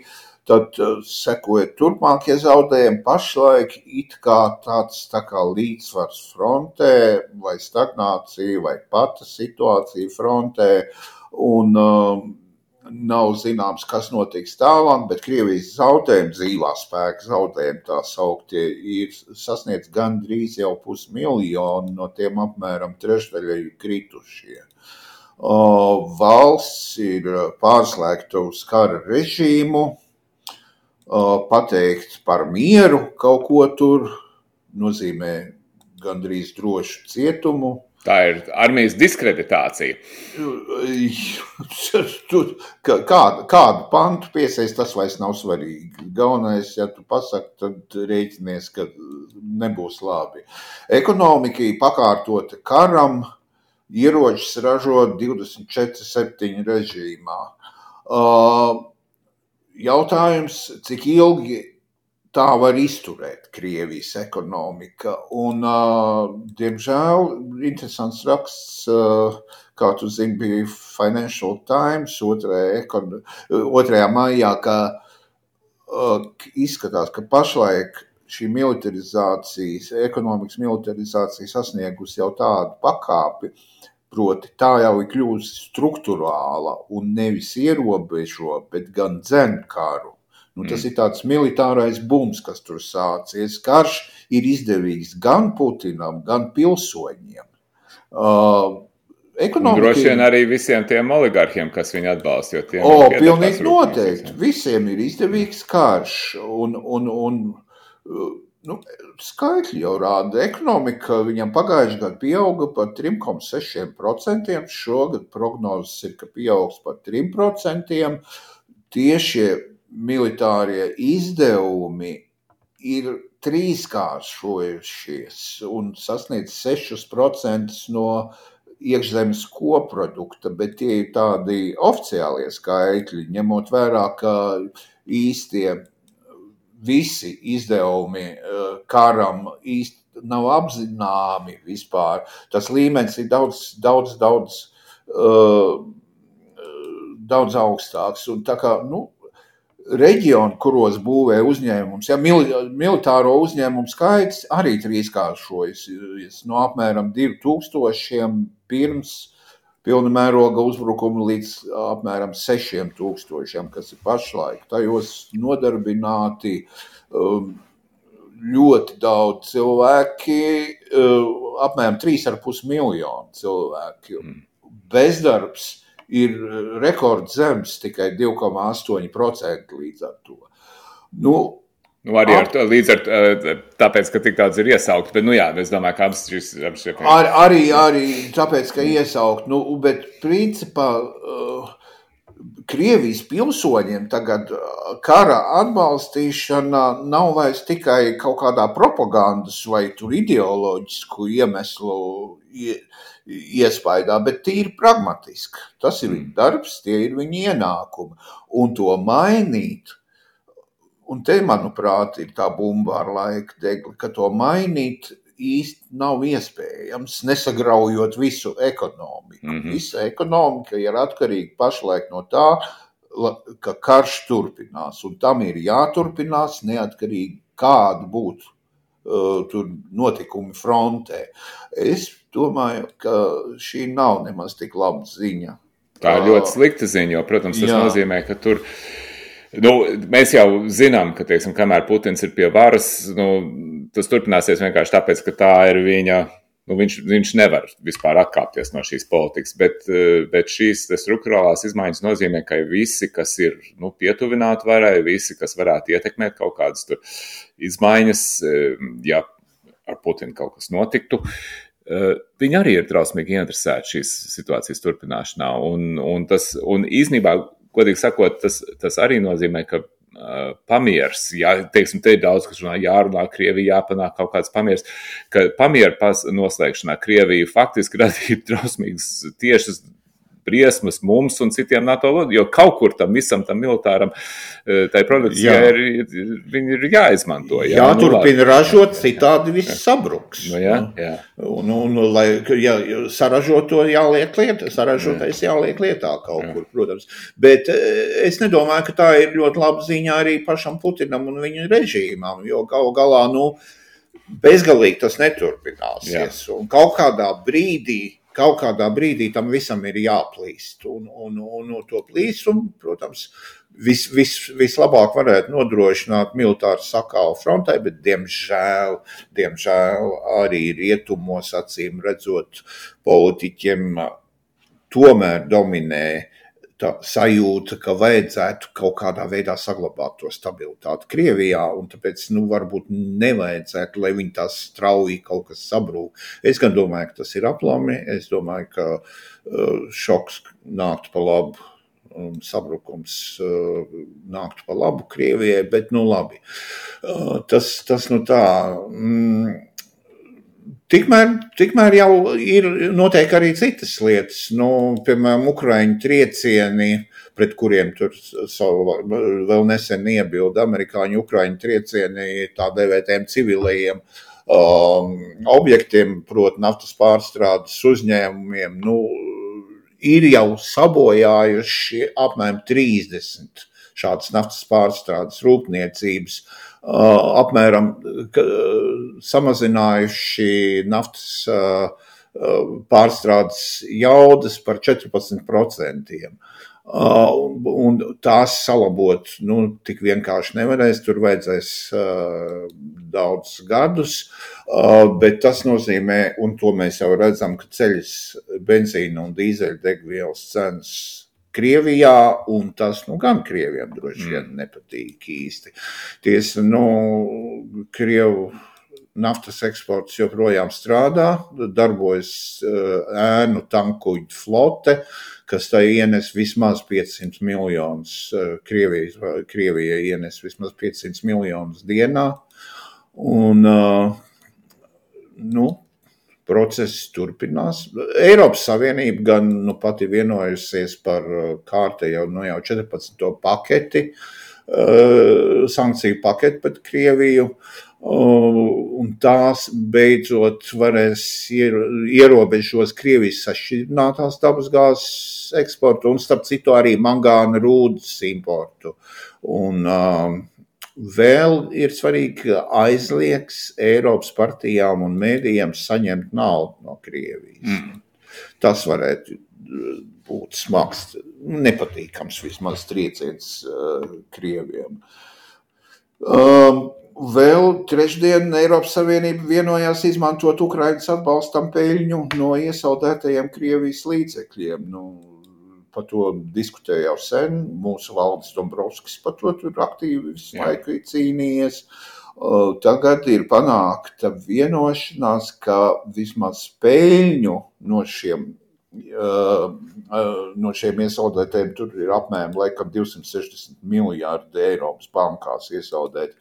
tad uh, sekoja turpmākie zaudējumi, pašlaik it kā tāds tā kā līdzsvars frontē, vai stagnācija, vai pata situācija frontē, un uh, nav zināms, kas notiks tālāk, bet Krievijas zaudējumi, dzīvā spēka zaudējumi tā sauktie, ir sasniedz gandrīz jau pusmiljonu, no tiem apmēram trešdaļa ir kritušie. Uh, valsts ir pārslēgta uz kara režīmu, uh, pateikt par mieru kaut ko tur nozīmē gandrīz drošu cietumu. Tā ir armijas diskreditācija. Kādu, kādu pantu piesaist, tas vairs nav svarīgi. Galvenais, ja tu pasaki, tad rēķinies, ka nebūs labi. Ekonomika ir pakārtota karam, ieročus ražo divdesmit četri septiņi režīmā. Jautājums, cik ilgi tā var izturēt Krievijas ekonomika. Un, uh, diemžēl, interesants raksts, uh, kā tu zini, bija Financial Times otrajā maijā, ka uh, izskatās, ka pašlaik šī militarizācijas, ekonomikas militarizācija sasniegusi jau tādu pakāpi, proti tā jau ir kļūst strukturāla un nevis ierobežo, bet gan dzen karu. Nu, tas ir tāds militārais bums, kas tur sācies. Karš ir izdevīgs gan Putinam, gan pilsoņiem. Uh, ekonomika... Droši vien arī visiem tiem oligarhiem, kas viņu atbalsta. O, pilnīgi noteikti. Visiem ir izdevīgs karš. Un, un, un nu, skaitļi jau rāda. Ekonomika viņam pagājušajā gadā pieauga par trīs komats seši procenti. Šogad prognozes ir, ka pieaugs par trīs procenti. Tieši militārie izdevumi ir trīskāršojušies un sasniedz sešus procentus no iekšzemes koprodukta, bet tie ir tādi oficiālie skaitļi, ņemot vērā, ka īstie visi izdevumi karam īsti nav apzināmi vispār. Tas līmenis ir daudz, daudz, daudz, uh, daudz augstāks. Un tā kā, nu, reģioni, kuros būvē uzņēmums, ja militāro uzņēmumu skaits arī trīskāršojas no apmēram divi tūkstošiem pirms pilna mēroga uzbrukuma līdz apmēram sešiem tūkstošiem, kas ir pašlaik. Tajos nodarbināti um, ļoti daudz cilvēki, um, apmēram trīs ar pus miljonu cilvēki. Bezdarbs ir rekords zems, tikai divi komats astoņi procenti līdz ar to. Nu, nu arī ar to, līdz ar tāpēc, ka tik daudz ir iesaukt, bet, nu jā, es domāju, ka abas šīs... Ar, arī, arī tāpēc, ka iesaukt, nu, bet principā uh, Krievijas pilsoņiem tagad kara atbalstīšana nav vairs tikai kaut kādā propagandas vai tur ideoloģisku iemeslu iespaidā, bet tīri pragmatiski. Tas ir viņa darbs, tie ir viņa ienākumi. Un to mainīt, un te, manuprāt, ir tā bumba ar laika degli, ka to mainīt īsti nav iespējams, nesagraujot visu ekonomiku. Mm-hmm. Visa ekonomika ir atkarīga pašlaik no tā, ka karš turpinās, un tam ir jāturpinās neatkarīgi kādu būtu uh, tur notikumi frontē. Es domāju, ka šī nav nemaz tik laba ziņa. Tā ir ļoti slikta ziņa, jo, protams, tas Jā. nozīmē, ka tur Nu, mēs jau zinām, ka, teiksim, kamēr Putins ir pie varas, nu, tas turpināsies vienkārši tāpēc, ka tā ir viņa, nu, viņš, viņš nevar vispār atkāpties no šīs politikas, bet, bet šīs struktūrālās izmaiņas nozīmē, ka visi, kas ir, nu, pietuvināti varai, visi, kas varētu ietekmēt kaut kādas tur izmaiņas, ja ar Putinu kaut kas notiktu, viņi arī ir drausmīgi interesēti šīs situācijas turpināšanā, un, un tas, un īstenībā, godīgi sakot, tas, tas arī nozīmē, ka uh, pamiers, jā, teiksim, te ir daudz, kas runā, jārunā Krievija, jāpanāk kaut kāds pamiers, ka pamiera pas noslēgšanā Krievija faktiski radīja drausmīgas tiešas briesmas mums un citiem NATO lodiem, jo kaut kur tam visam tam militāram tai produkcijai ir, viņi ir jāizmanto. Jā, Jāturpina nu, ražot, citādi viss sabruks. Nu, jā, jā. Un, un, lai, ja saražot to jāliek lietā, saražotais jāliek lietā kaut jā. Kur, protams. Bet es nedomāju, ka tā ir ļoti laba ziņa arī pašam Putinam un viņa režīmam, jo galu galā, nu, bezgalīgi tas neturpināsies. Jā. Un kaut kādā brīdī Kaut kādā brīdī tam visam ir jāplīst, un, un, un, un to plīstumu, protams, vis, vis, vislabāk varētu nodrošināt militāru sakālu frontē, bet diemžēl, diemžēl arī rietumos acīm redzot politiķiem tomēr dominē tā sajūta, ka vajadzētu kaut kādā veidā saglabāt to stabilitāti Krievijā, un tāpēc, nu, varbūt nevajadzētu, lai viņi tās strauji kaut kas sabrūk. Es gan domāju, ka tas ir aplami, es domāju, ka uh, šoks nāktu pa labu, un sabrukums uh, nāktu pa labu Krievijai, bet, nu, labi. Uh, tas, tas, nu, tā... Mm, Tikmēr, tikmēr jau ir noteikti arī citas lietas, nu, piemēram, Ukraiņu triecieni, pret kuriem tur savu vēl nesen iebilda amerikāņu Ukraiņu triecieni tā dēvētiem civilajiem um, objektiem, proti naftas pārstrādes uzņēmumiem, nu, ir jau sabojājuši apmēram trīsdesmit šādas naftas pārstrādes rūpniecības, Uh, apmēram uh, samazinājuši naftas uh, uh, pārstrādes jaudas par četrpadsmit procentiem. Uh, un tās salabot, nu, tik vienkārši nevarēs, tur vajadzēs uh, daudz gadus, uh, bet tas nozīmē, un to mēs jau redzam, ka ceļas benzīna un dīzeļdegvielas cenas Krievijā, un tas, nu, gan Krievijam droši vien nepatīk īsti. Tiesa, nu, Krievu naftas eksports joprojām strādā, darbojas uh, ēnu tankuģu flote, kas tai ienes vismaz piecsimt miljonus, uh, Krievijas, Krievijai ienes vismaz piecsimt miljonus dienā, un, uh, nu, process turpinās. Eiropas Savienība gan nu, pati vienojusies par kārtējo nu, jau četrpadsmito paketi, uh, sankciju paketi pret Krieviju, uh, un tās beidzot varēs ier, ierobežos Krievijas sašķidrinātās dabasgāzes eksportu un starp citu arī mangāna rūdas importu. Un uh, vēl ir svarīgi, ka aizliegs Eiropas partijām un mēdījiem saņemt naudu no Krievijas. Mm. Tas varētu būt smags, nepatīkams vismaz trieciens uh, Krieviem. Um, vēl trešdien Eiropas Savienība vienojās izmantot Ukrainas atbalstam peļņu no iesaldētajiem Krievijas līdzekļiem. Nu, par to diskutēja jau sen, mūsu Valdis Dombrovskis par to tur aktīvi visu laiku ir cīnījies. Tagad ir panākta vienošanās, ka vismaz peļņu no šiem, no šiem iesaldētiem tur ir apmēram laikam divsimt sešdesmit miljārdi Eiropas bankās iesaldēti.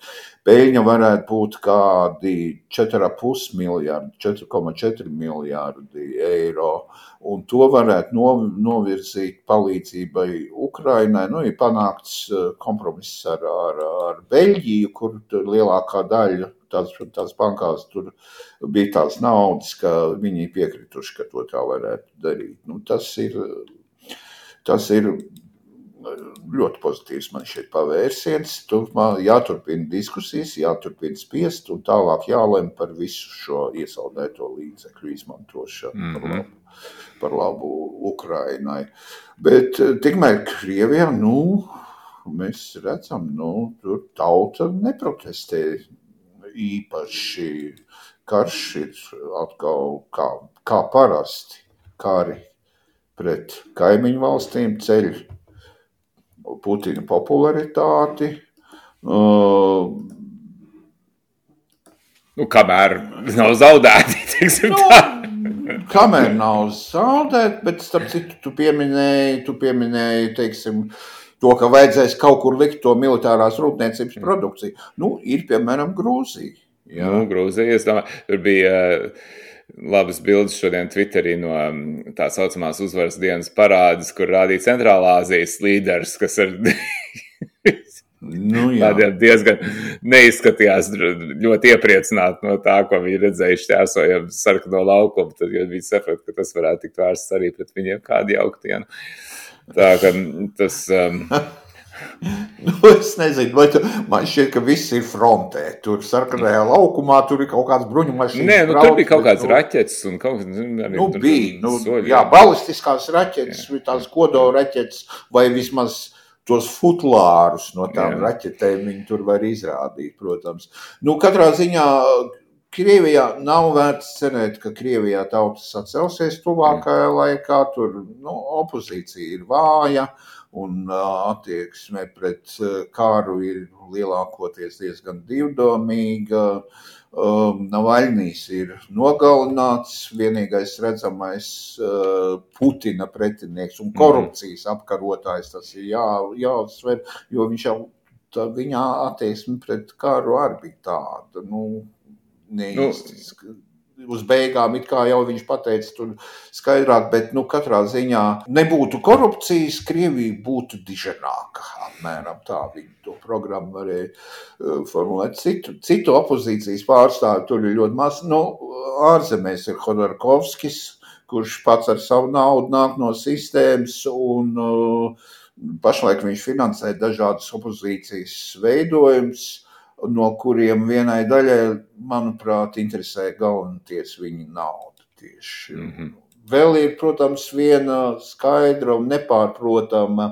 Peļņa varētu būt kādi četri komats pieci miljārdi, četri komats četri miljārdi eiro, un to varētu novirzīt palīdzībai Ukrainai. Nu, ir panākts kompromiss ar, ar, ar Beļģiju, kur lielākā daļa tās, tās bankās tur bija tās naudas, ka viņi piekrituši, ka to tā varētu darīt. Nu, tas ir, tas ir ļoti pozitīvs man šeit pavērsiens. Turpmāk jāturpina diskusijas, jāturpina spiest un tālāk jālem par visu šo iesaldēto līdzekļu izmantošanu mm-hmm. par labu, par labu Ukrainai. Bet tikmēr Krievijā, nu, mēs redzam, nu, tur tauta neprotestē īpaši. Karš ir atkal kā, kā parasti kari pret kaimiņu valstīm ceļ Putina popularitāti. Uh, Nu, kamēr nav zaudēti, teiksim nu, tā. Kamēr nav zaudēti, bet starp citu tu pieminēji, tu pieminēji, teiksim, to, ka vajadzēs kaut kur likt to militārās rūpniecības produkciju. Nu, ir, piemēram, Grūzija. Jā. Nu, Grūzija, es domāju, tur bija uh, labas bildes šodien Twitterī no um, tā saucamās uzvaras dienas parādes, kur rādīja Centrālā Azijas līderis, kas ir... Nu, Tādiem diezgan neizskatījās ļoti iepriecināti no tā, ko viņi redzējuši ķērsojam sarkano laukumu, tad viņi saprot, ka tas varētu tikt vērsts arī pret viņiem kādu jauktienu. Tā, ka tas... Um... nu, es nezinu, vai tu, man šķiet, ka viss ir frontē. Tur sarkanajā laukumā, tur ir kaut kāds bruņu mašīnas. Nē, nu, tur bija kaut kāds nu, raķetes un kaut kāds... Arī, nu, tur, bija, nu, soļi, jā, balistiskās raķetes, jā. Tās kodola raķetes, vai vismaz... tos futlārus no tām Jā. raķetēm viņi tur var izrādīt, protams. Nu, katrā ziņā Krievijā nav vērts cerēt, ka Krievijā tautas sacelsies tuvākajā laikā. Tur nu, opozīcija ir vāja un uh, attieksme pret uh, kāru ir lielākoties diezgan divdomīga. Um, Navaļnīs ir nogalināts, vienīgais redzamais uh, Putina pretinieks un korupcijas apkarotājs, tas ir jā, jāuzsver, jo viņš jau, tā, viņa attieksme pret kāru arī bija tāda, nu, neīsti. Nu. Uz beigām, it kā jau viņš pateica tur skaidrāk, bet, nu, katrā ziņā nebūtu korupcijas, Krievija būtu diženāka, apmēram tā viņa to programmu varēja uh, formulēt. Citu, citu opozīcijas pārstāvi tur ir ļoti maz, nu, ārzemēs ir Hodorkovskis, kurš pats ar savu naudu nāk no sistēmas un uh, pašlaik viņš finansē dažādas opozīcijas veidojumus, no kuriem vienai daļai, manuprāt, interesē galvenoties viņa nauda tieši. Mm-hmm. Vēl ir, protams, viena skaidra un nepārprotama,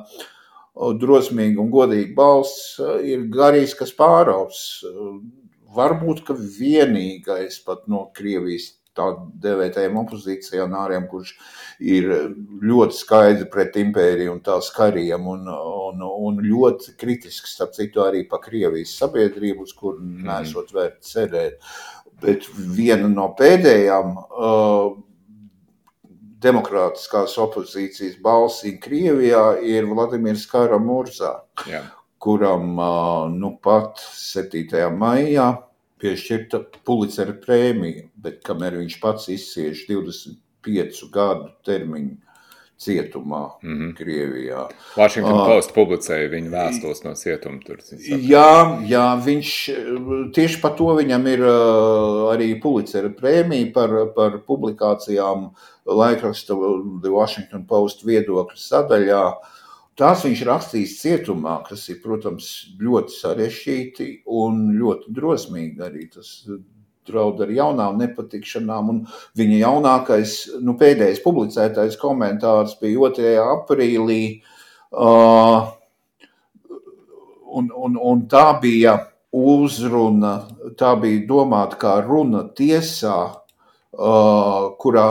drosmīga un godīga balss ir Garijs Kasparovs. Varbūt, ka vienīgais pat no Krievijas tā devētajiem opozīcionāriem, kurš ir ļoti skaidri pret impēriju un tās kariem un, un, un ļoti kritisks, starp citu, arī pa Krievijas sabiedrību, uz kur nesot vērt cerēt. Bet viena no pēdējām uh, demokrātiskās opozīcijas balsīm Krievijā ir Vladimirs Kara-Murzā, Jā. kuram uh, nu pat septītajā maijā piešķirta Pulicera prēmija, bet kamēr viņš pats izcieš divdesmit piecu gadu termiņu cietumā mm-hmm. Krievijā. Washington uh, Post publicēja viņa vēstules no cietuma tur. Jā, jā, viņš tieši par to viņam ir uh, arī Pulicera prēmija par, par publikācijām laikraksta The Washington Post viedokļu sadaļā. Tās viņš rakstīs cietumā, kas ir, protams, ļoti sarežģīti un ļoti drosmīgi arī. Tas draud ar jaunām nepatikšanām. Un viņa jaunākais, nu, pēdējais publicētais komentārs bija otrajā aprīlī. Uh, un, un, un tā bija uzruna, tā bija domāta kā runa tiesā, Uh, kurā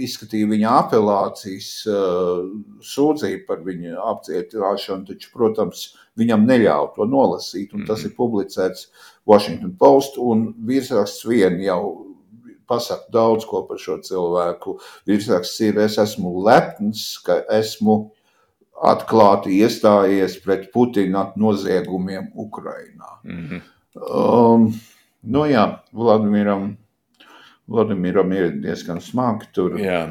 izskatīja viņa apelācijas uh, sūdzību par viņa apcietināšanu, taču, protams, viņam neļauj to nolasīt, un tas ir publicēts Washington Post, un virsraksts vien jau pasaka daudz ko par šo cilvēku. Virsraksts ir, es esmu lepns, ka esmu atklāti iestājies pret Putina noziegumiem Ukrainā. Mm-hmm. Um, nu jā, Vladimiram Vladimiram ir diezgan smagi tur. Jā,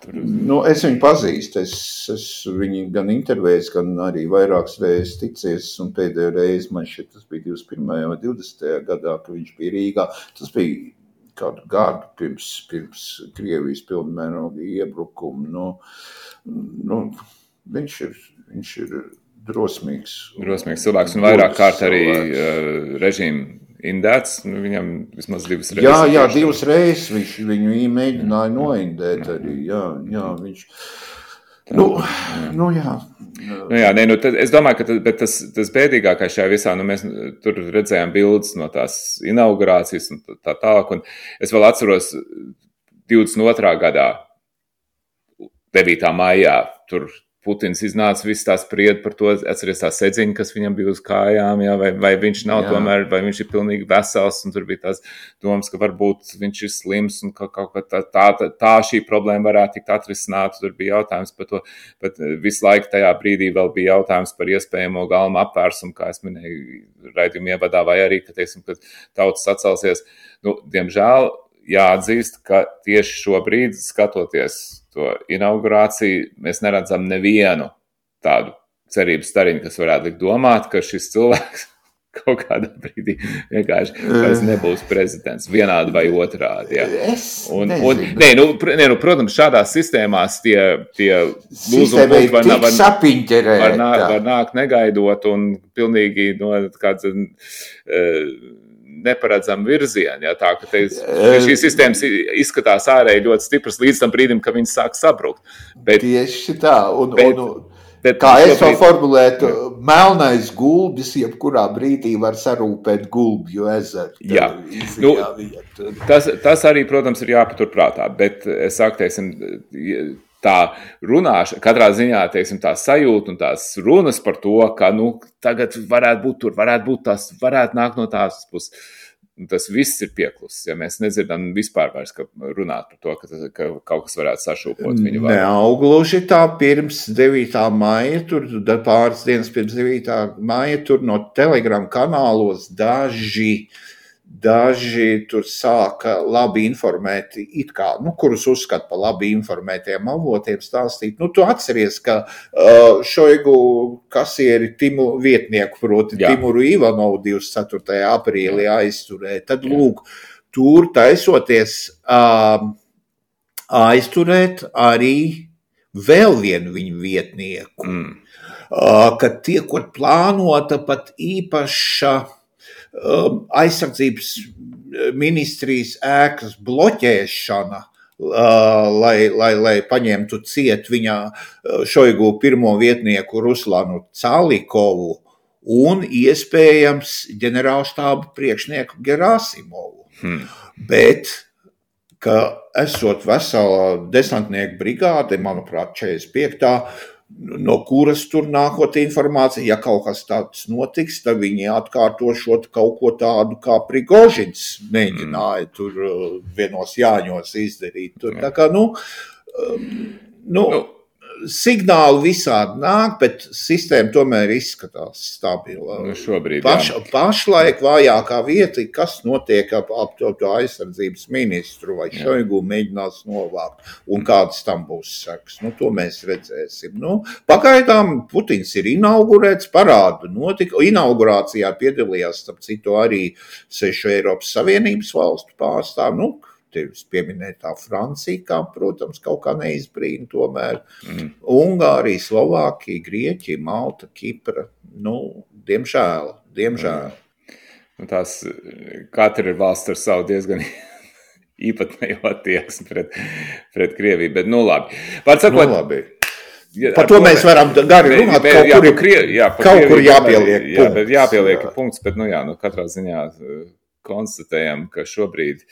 tur... Nu, es viņu pazīstu, es, es viņu gan intervējis, gan arī vairākas reizes ticies, un pēdējo reizi man šeit tas bija divdesmit pirmajā vai divdesmitajā gadā, ka viņš bija Rīgā. Tas bija kādu gadu pirms, pirms Krievijas pilnmēroga iebrukuma. Nu, nu, viņš ir, viņš ir drosmīgs. Drosmīgs cilvēks, un vairāk kārt arī uh, režīmu indēts, nu, viņam vismaz divas reizes. Jā, jā, divas reizes viņš viņu mēģināja noindēt arī, jā, jā, viņš, Nu, nu jā. Nu jā, nē, nu, tad, es domāju, ka tas, tas, tas bēdīgākais šajā visā, nu, mēs tur redzējām bildes no tās inaugurācijas un tā tālāk, un es vēl atceros divdesmit otrā gadā, devītā maijā, tur Putins iznāca viss tās spried par to, atceries tā sedziņa, kas viņam bija uz kājām, jā, vai, vai viņš nav jā. tomēr, vai viņš ir pilnīgi vesels, un tur bija tās domas, ka varbūt viņš ir slims, un ka kaut kā tā, tā, tā šī problēma varētu tikt atrisināta, tur bija jautājums par to, bet visu laiku tajā brīdī vēl bija jautājums par iespējamo galma apvērsumu, kā es minēju raidījumu ievadā, vai arī, ka, teiksim, ka tautas atcelsies. Nu, diemžēl jāatzīst, ka tieši šobrīd, skatoties to inaugurāciju, mēs neredzam nevienu tādu cerības stariņu, kas varētu likt domāt, ka šis cilvēks kaut kādā brīdī vienkārši vairs nebūs prezidents, vienādi vai otrādi. Jā. Es un, nezinu. Un, nē, nu, nē, nu, protams, šādās sistēmās tie, tie lūzumi var, var, var, nā, var nākt negaidot un pilnīgi no kāds uh, neparedzam virzienu, ja, tā, ka te, šīs sistēmas izskatās ārēji ļoti stipras līdz tam brīdim, ka viņas sāk sabrukt. Bet, tieši tā, un, bet, un, bet, kā es to formulētu, melnais gulbis jebkurā brīdī var sarūpēt gulbju ezeru. Jā, nu, tas, tas arī, protams, ir jāpaturprātā, bet es saku, teiksim, tā runāšana, katrā ziņā, teiksim, tā sajūta un tās runas par to, ka, nu, tagad varētu būt tur, varētu būt tas, varētu nākt no tās puses. Tas viss ir pieklusis, ja mēs nedzirdam vispār vairs, ka runāt par to, ka, tas, ka kaut kas varētu sašūpot viņu vārdu. Neaugluži tā pirms devītā maija, tur pāris dienas pirms devītā maija, tur no Telegram kanālos daži Daži tur sāka labi informēti, it kā, nu, kurus uzskata par labi informētiem avotiem stāstīt. Nu, tu atceries, ka uh, Šoigu kasieri Timu vietnieku, proti Jā. Timuru Ivanovu divdesmit ceturtajā aprīlī aizturēja. Tad, Jā. lūk, tur taisoties uh, aizturēt arī vēl vienu viņu vietnieku, mm. uh, kad tiekot plānota pat īpaša aizsardzības ministrijas ēkas bloķēšana, lai, lai, lai paņemtu ciet viņa Šoigu pirmo vietnieku Ruslanu Calikovu un iespējams ģenerālštāba priekšnieku Gerasimovu. Hmm. Bet, ka esot vesela desantnieku brigāde, manuprāt, četrdesmit piektā no kuras tur nākot informācija, ja kaut kas tāds notiks, tad viņi atkārtošot kaut ko tādu, kā Prigožins mēģināja tur vienos jāņos izdarīt. Tur, tā kā, nu, nu, signāli visādi nāk, bet sistēma tomēr izskatās stabila. Nu, šobrīd, Paš, pašlaik vājākā vieta, kas notiek ap, ap to, to aizsardzības ministru vai Šoigu mēģinās novākt un kādas tam būs sekas. Nu, to mēs redzēsim. Nu, pagaidām Putins ir inaugurēts, parādu notika. Inaugurācijā piedalījās, starp citu, arī sešu Eiropas Savienības valstu pārstāvi. Nu, tevis pieminētā Francija, kā, protams, kaut kā neizbrīna tomēr. Mm. Ungārija, Slovākija, Grieķija, Malta, Kipra. Nu, diemžēl, diemžēl. Mm. Nu, tās katra ir valsts ar savu diezgan īpatnējo attieksmi pret, pret Krieviju, bet nu labi. Pārsakot, nu labi. Ja, par to mēs varam gari runāt, bet, kaut jā, kur, krie, jā, kaut Krieviju, kur jāpieliek jā, punkts. Jā, jāpieliek jā. punkts, bet nu jā, nu katrā ziņā konstatējam, ka šobrīd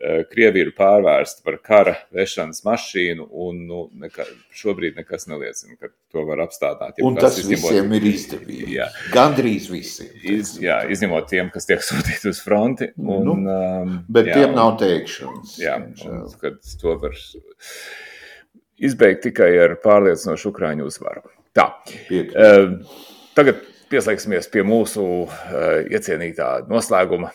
Krievija ir pārvērsta par kara vešanas mašīnu un nu, neka, šobrīd nekas neliecina, ka to var apstādāt. Ja un tas izņemot, visiem ir izdevīgi. Jā. Gandrīz visiem. Iz, jā, izņemot tiem, kas tiek sūtīti uz fronti. Un, nu, um, bet jā, tiem nav teikšanas. Jā, un, kad to var izbeigt tikai ar pārliecinošu Ukraiņu uzvaru. Tā. Uh, tagad pieslēgsimies pie mūsu uh, iecienītā noslēguma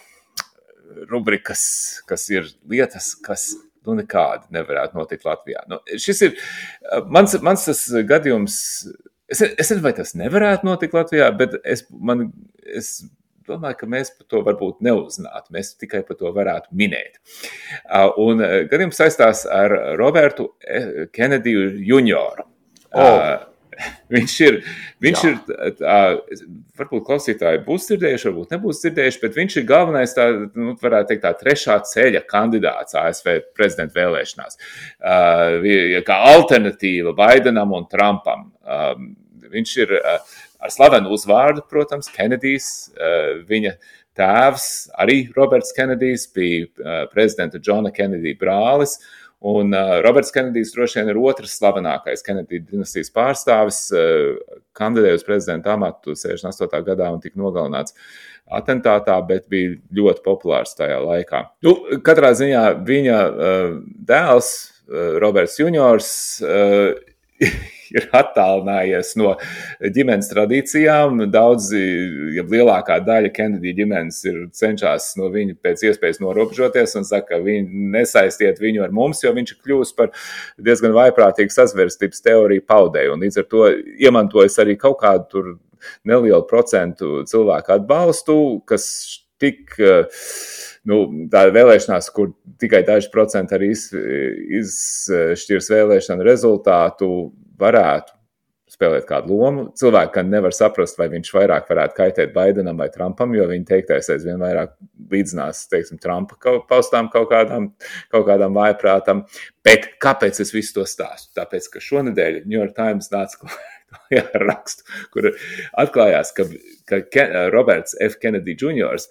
rubrikas, kas ir lietas, kas nu nekādi nevarētu notikt Latvijā. Nu, šis ir, mans, mans tas gadījums, es, es nezinu, vai tas nevarētu notikt Latvijā, bet es, man, es domāju, ka mēs par to varbūt neuzzinātu, mēs tikai par to varētu minēt. Un gadījums saistās ar Robertu Kenediju junioru. Oh. Viņš ir, viņš Jā. ir tā, varbūt klausītāji būs dzirdējuši, varbūt nebūs dzirdējuši, bet viņš ir galvenais, tā, nu, varētu teikt, tā trešā ceļa kandidāts A S V prezidenta vēlēšanās. Uh, kā alternatīva Baidenam un Trumpam. Uh, viņš ir uh, ar slavenu uzvārdu, protams, Kenedijs, uh, viņa tēvs, arī Roberts Kenedijs, bija uh, prezidenta Džona Kenedija brālis. Un uh, Roberts Kenedijs droši vien ir otrs slavenākais Kenedija dinastijas pārstāvis, uh, kandidēja uz prezidenta amatu sešdesmit astotajā gadā un tika nogalināts atentātā, bet bija ļoti populārs tajā laikā. Nu, katrā ziņā viņa uh, dēls, uh, Roberts juniors, uh, ir attālinājies no ģimenes tradīcijām. Daudzi, ja lielākā daļa Kenedija ģimenes ir cenšas no viņa pēc iespējas norobežoties un saka, ka viņi nesaistiet viņu ar mums, jo viņš ir kļūst par diezgan vaiprātīgu sazvērstības teoriju paudēju. Un līdz ar to iemantojas arī kaut kādu tur nelielu procentu cilvēku atbalstu, kas tik, nu, tā vēlēšanās, kur tikai daži procenti arī iz, izšķirs vēlēšanu rezultātu, varētu spēlēt kādu lomu. Cilvēki, ka nevar saprast, vai viņš vairāk varētu kaitēt Baidenam vai Trumpam, jo viņa teiktais aizvien vairāk līdzinās, teiksim, Trumpa paustām kaut kādām, kaut kādām vājprātam. Bet kāpēc es visu to stāstu? Tāpēc, ka šonedēļ New York Times nāca klājā ar rakstu, kur atklājās, ka, ka Roberts F. Kennedy juniors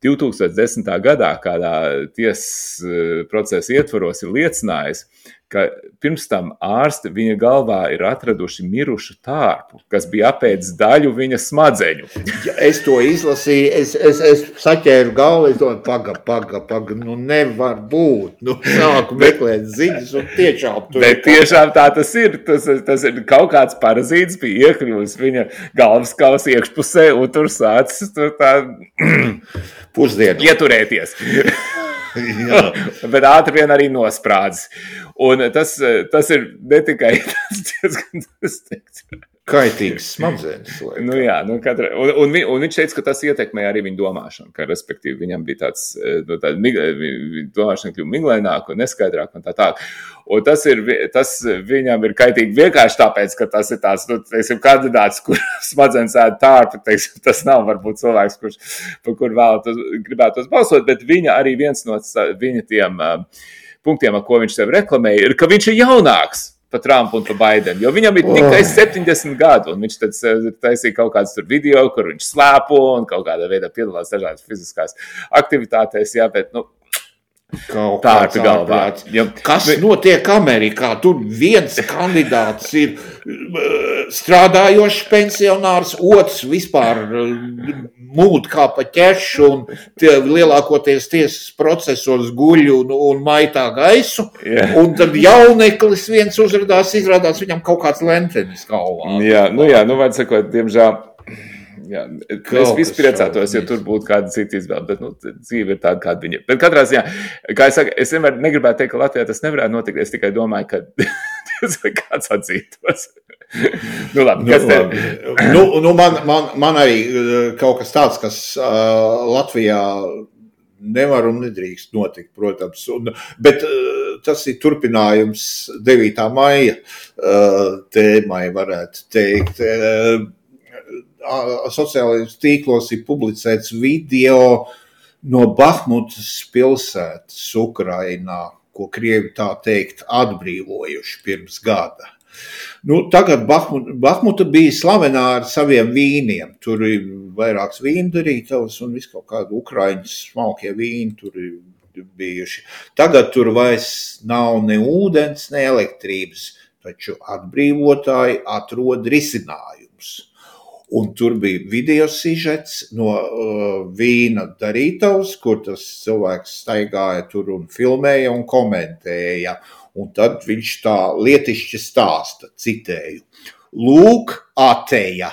divi tūkstoši desmitā gadā kādā tiesas procesa ietvaros ir liecinājis, ka pirms tam ārsti viņa galvā ir atraduši mirušu tārpu, kas bija apēdis daļu viņa smadzeņu. Ja es to izlasīju, es, es, es saķēru galvu, es domāju, paga, paga, paga, nu nevar būt. Nu sāku meklēt ziņas un tiešām tur. Bet tiešām tā tas ir. Tas, tas ir kaut kāds parazīts bija iekļuvis viņa galvaskausa iekšpusē un tur sācis tur tā pusdienu ieturēties. Bet ātri vien arī nosprādzis. Un tas, tas ir ne tikai tas diezgan tas teiks. Kaitīgs smadzenes. Nu jā, nu katra, un, un, vi, un viņš teica, ka tas ietekmē arī viņa domāšanu, ka respektīvi viņam bija tāds, no tāda domāšana kļuva miglaināka un neskaidrāka un tā tā. Un tas, ir, tas viņam ir kaitīgi vienkārši tāpēc, ka tas ir tāds, nu, teiksim, kandidāts, kur smadzenes ēd tārpu, teiksim, tas nav varbūt cilvēks, kurš, par kur vēlētos, gribētos balsot, bet viņa arī viens no viņa tiem uh, punktiem, ar ko viņš sev reklamēja, ir, ka viņš ir jaunāks pa Trumpu un pa Baidenu, jo viņam ir tikai septiņdesmit gadu, un viņš tad taisīja kaut kāds tur video, kur viņš slēpo un kaut kādā veidā piedalās dažādas fiziskās aktivitātēs, jā, bet, nu, Kaut tā ir galvā. Ja, kas notiek Amerikā? Tur viens kandidāts ir strādājošs pensionārs, otrs vispār mūd kā pa ķešu un tie lielākoties tiesas procesos guļ un, un maitā gaisu. Yeah. Un tad jauneklis viens uzradās, izrādās viņam kaut kāds lentenis galvā. Jā, nu jā, nu vajag sakot, diemžēl. Jā, es visu priecātos, ja tur būtu kāda cita izvēle, bet nu, dzīve ir tāda, kāda viņa. Bet katrā ziņā, kā es saku, es vienmēr negribētu teikt, ka Latvijā tas nevarētu notikt, es tikai domāju, ka kāds atzītos. Nu labi, kas nu, labi. Nu, nu man, man, man arī kaut kas tāds, kas uh, Latvijā nevar un nedrīkst notikt, protams. Un, bet uh, tas ir turpinājums devītā maija uh, tēmai, varētu teikt. Uh, Sociālajos tīklos ir publicēts video no Bahmutas pilsētas Ukrainā, ko Krievi tā teikt atbrīvojuši pirms gada. Nu, tagad Bahmuta, Bahmuta bija slavenā ar saviem vīniem. Tur ir vairāks vīndarītavas un viss kaut kādi ukraiņu smalkie vīni tur ir bijuši. Tagad tur vairs nav ne ūdens, ne elektrības, taču atbrīvotāji atrod risinājums. Un tur bija video sižets no uh, vīna darītavas, kur tas cilvēks staigāja tur un filmēja un komentēja. Un tad viņš tā lietišķi stāsta, citēju. Lūk, ateja.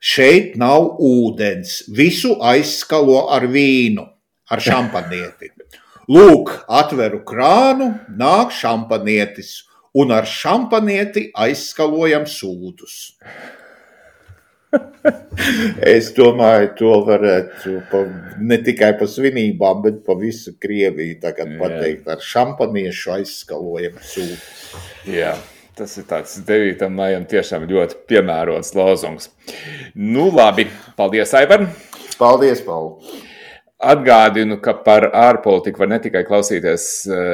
Šeit nav ūdens. Visu aizskalo ar vīnu, ar šampanieti. Lūk, atveru krānu, nāk šampanietis. Un ar šampanieti aizskalojam sūdus. Es domāju, to varētu pa, ne tikai pa svinībām, bet pa visu Krieviju tagad pateikt ar šampaniešu aizskalojam sūdu. Jā, Tas ir tāds devītam maijam tiešām ļoti piemērots lozungs. Nu labi, paldies, Aivar! Paldies, Paul! Atgādinu, ka par ārpolitiku var ne tikai klausīties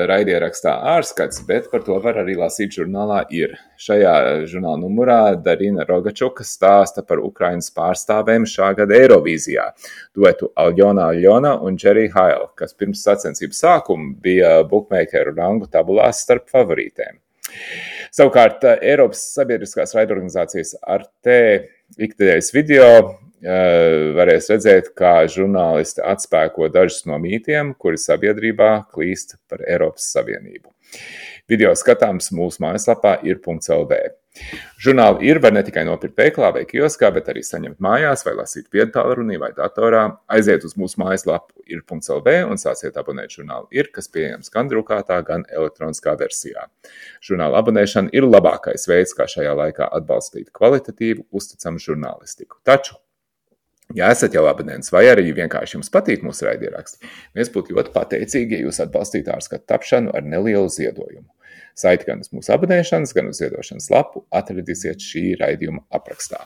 raidierakstā Ārskats, bet par to var arī lasīt žurnālā Ir. Šajā žurnāla numurā Darina Rogačuka stāsta par Ukrainas pārstāvēm šā gada Eirovīzijā, duetu Aljona Aljona un Jerry Heil, kas pirms sacensību sākuma bija bukmeikeru rangu tabulās starp favorītēm. Savukārt Eiropas sabiedriskās raidorganizācijas Arte ikdienas video varēs redzēt, kā žurnālisti atspēko dažus no mītiem, kuri sabiedrībā klīst par Eiropas Savienību. Video skatāms mūsu mājaslapā ir punkts el vē. Žurnāli Ir var ne tikai nopirkt veikalā vai kioskā, bet arī saņemt mājās vai lasīt viedtālrunī vai datorā. Aiziet uz mūsu mājaslapu ir punkts el vē un sāciet abonēt žurnālu Ir, kas pieejams gan drukātā, gan elektroniskā versijā. Žurnāla abonēšana ir labākais veids, kā šajā laikā atbalstīt kvalitatīvu, uzticamu žurnālistiku. Taču, ja esat jau abonents vai arī vienkārši jums patīk mūsu raidieraksti, mēs būtu ļoti pateicīgi, ja jūs atbalstītu Ārskatu tapšanu ar nelielu ziedojumu. Saiti gan uz mūsu abonēšanas, gan uz ziedošanas lapu atradīsiet šī raidījuma aprakstā.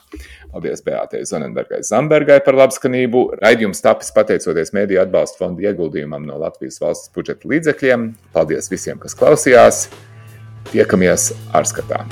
Paldies Beātei Zonenbergai Zambergai par labskanību. Raidījums tapis pateicoties Mēdīju atbalsta fonda ieguldījumam no Latvijas valsts budžeta līdzekļiem. Paldies visiem, kas klausījās. Tiekamies Ārskatā.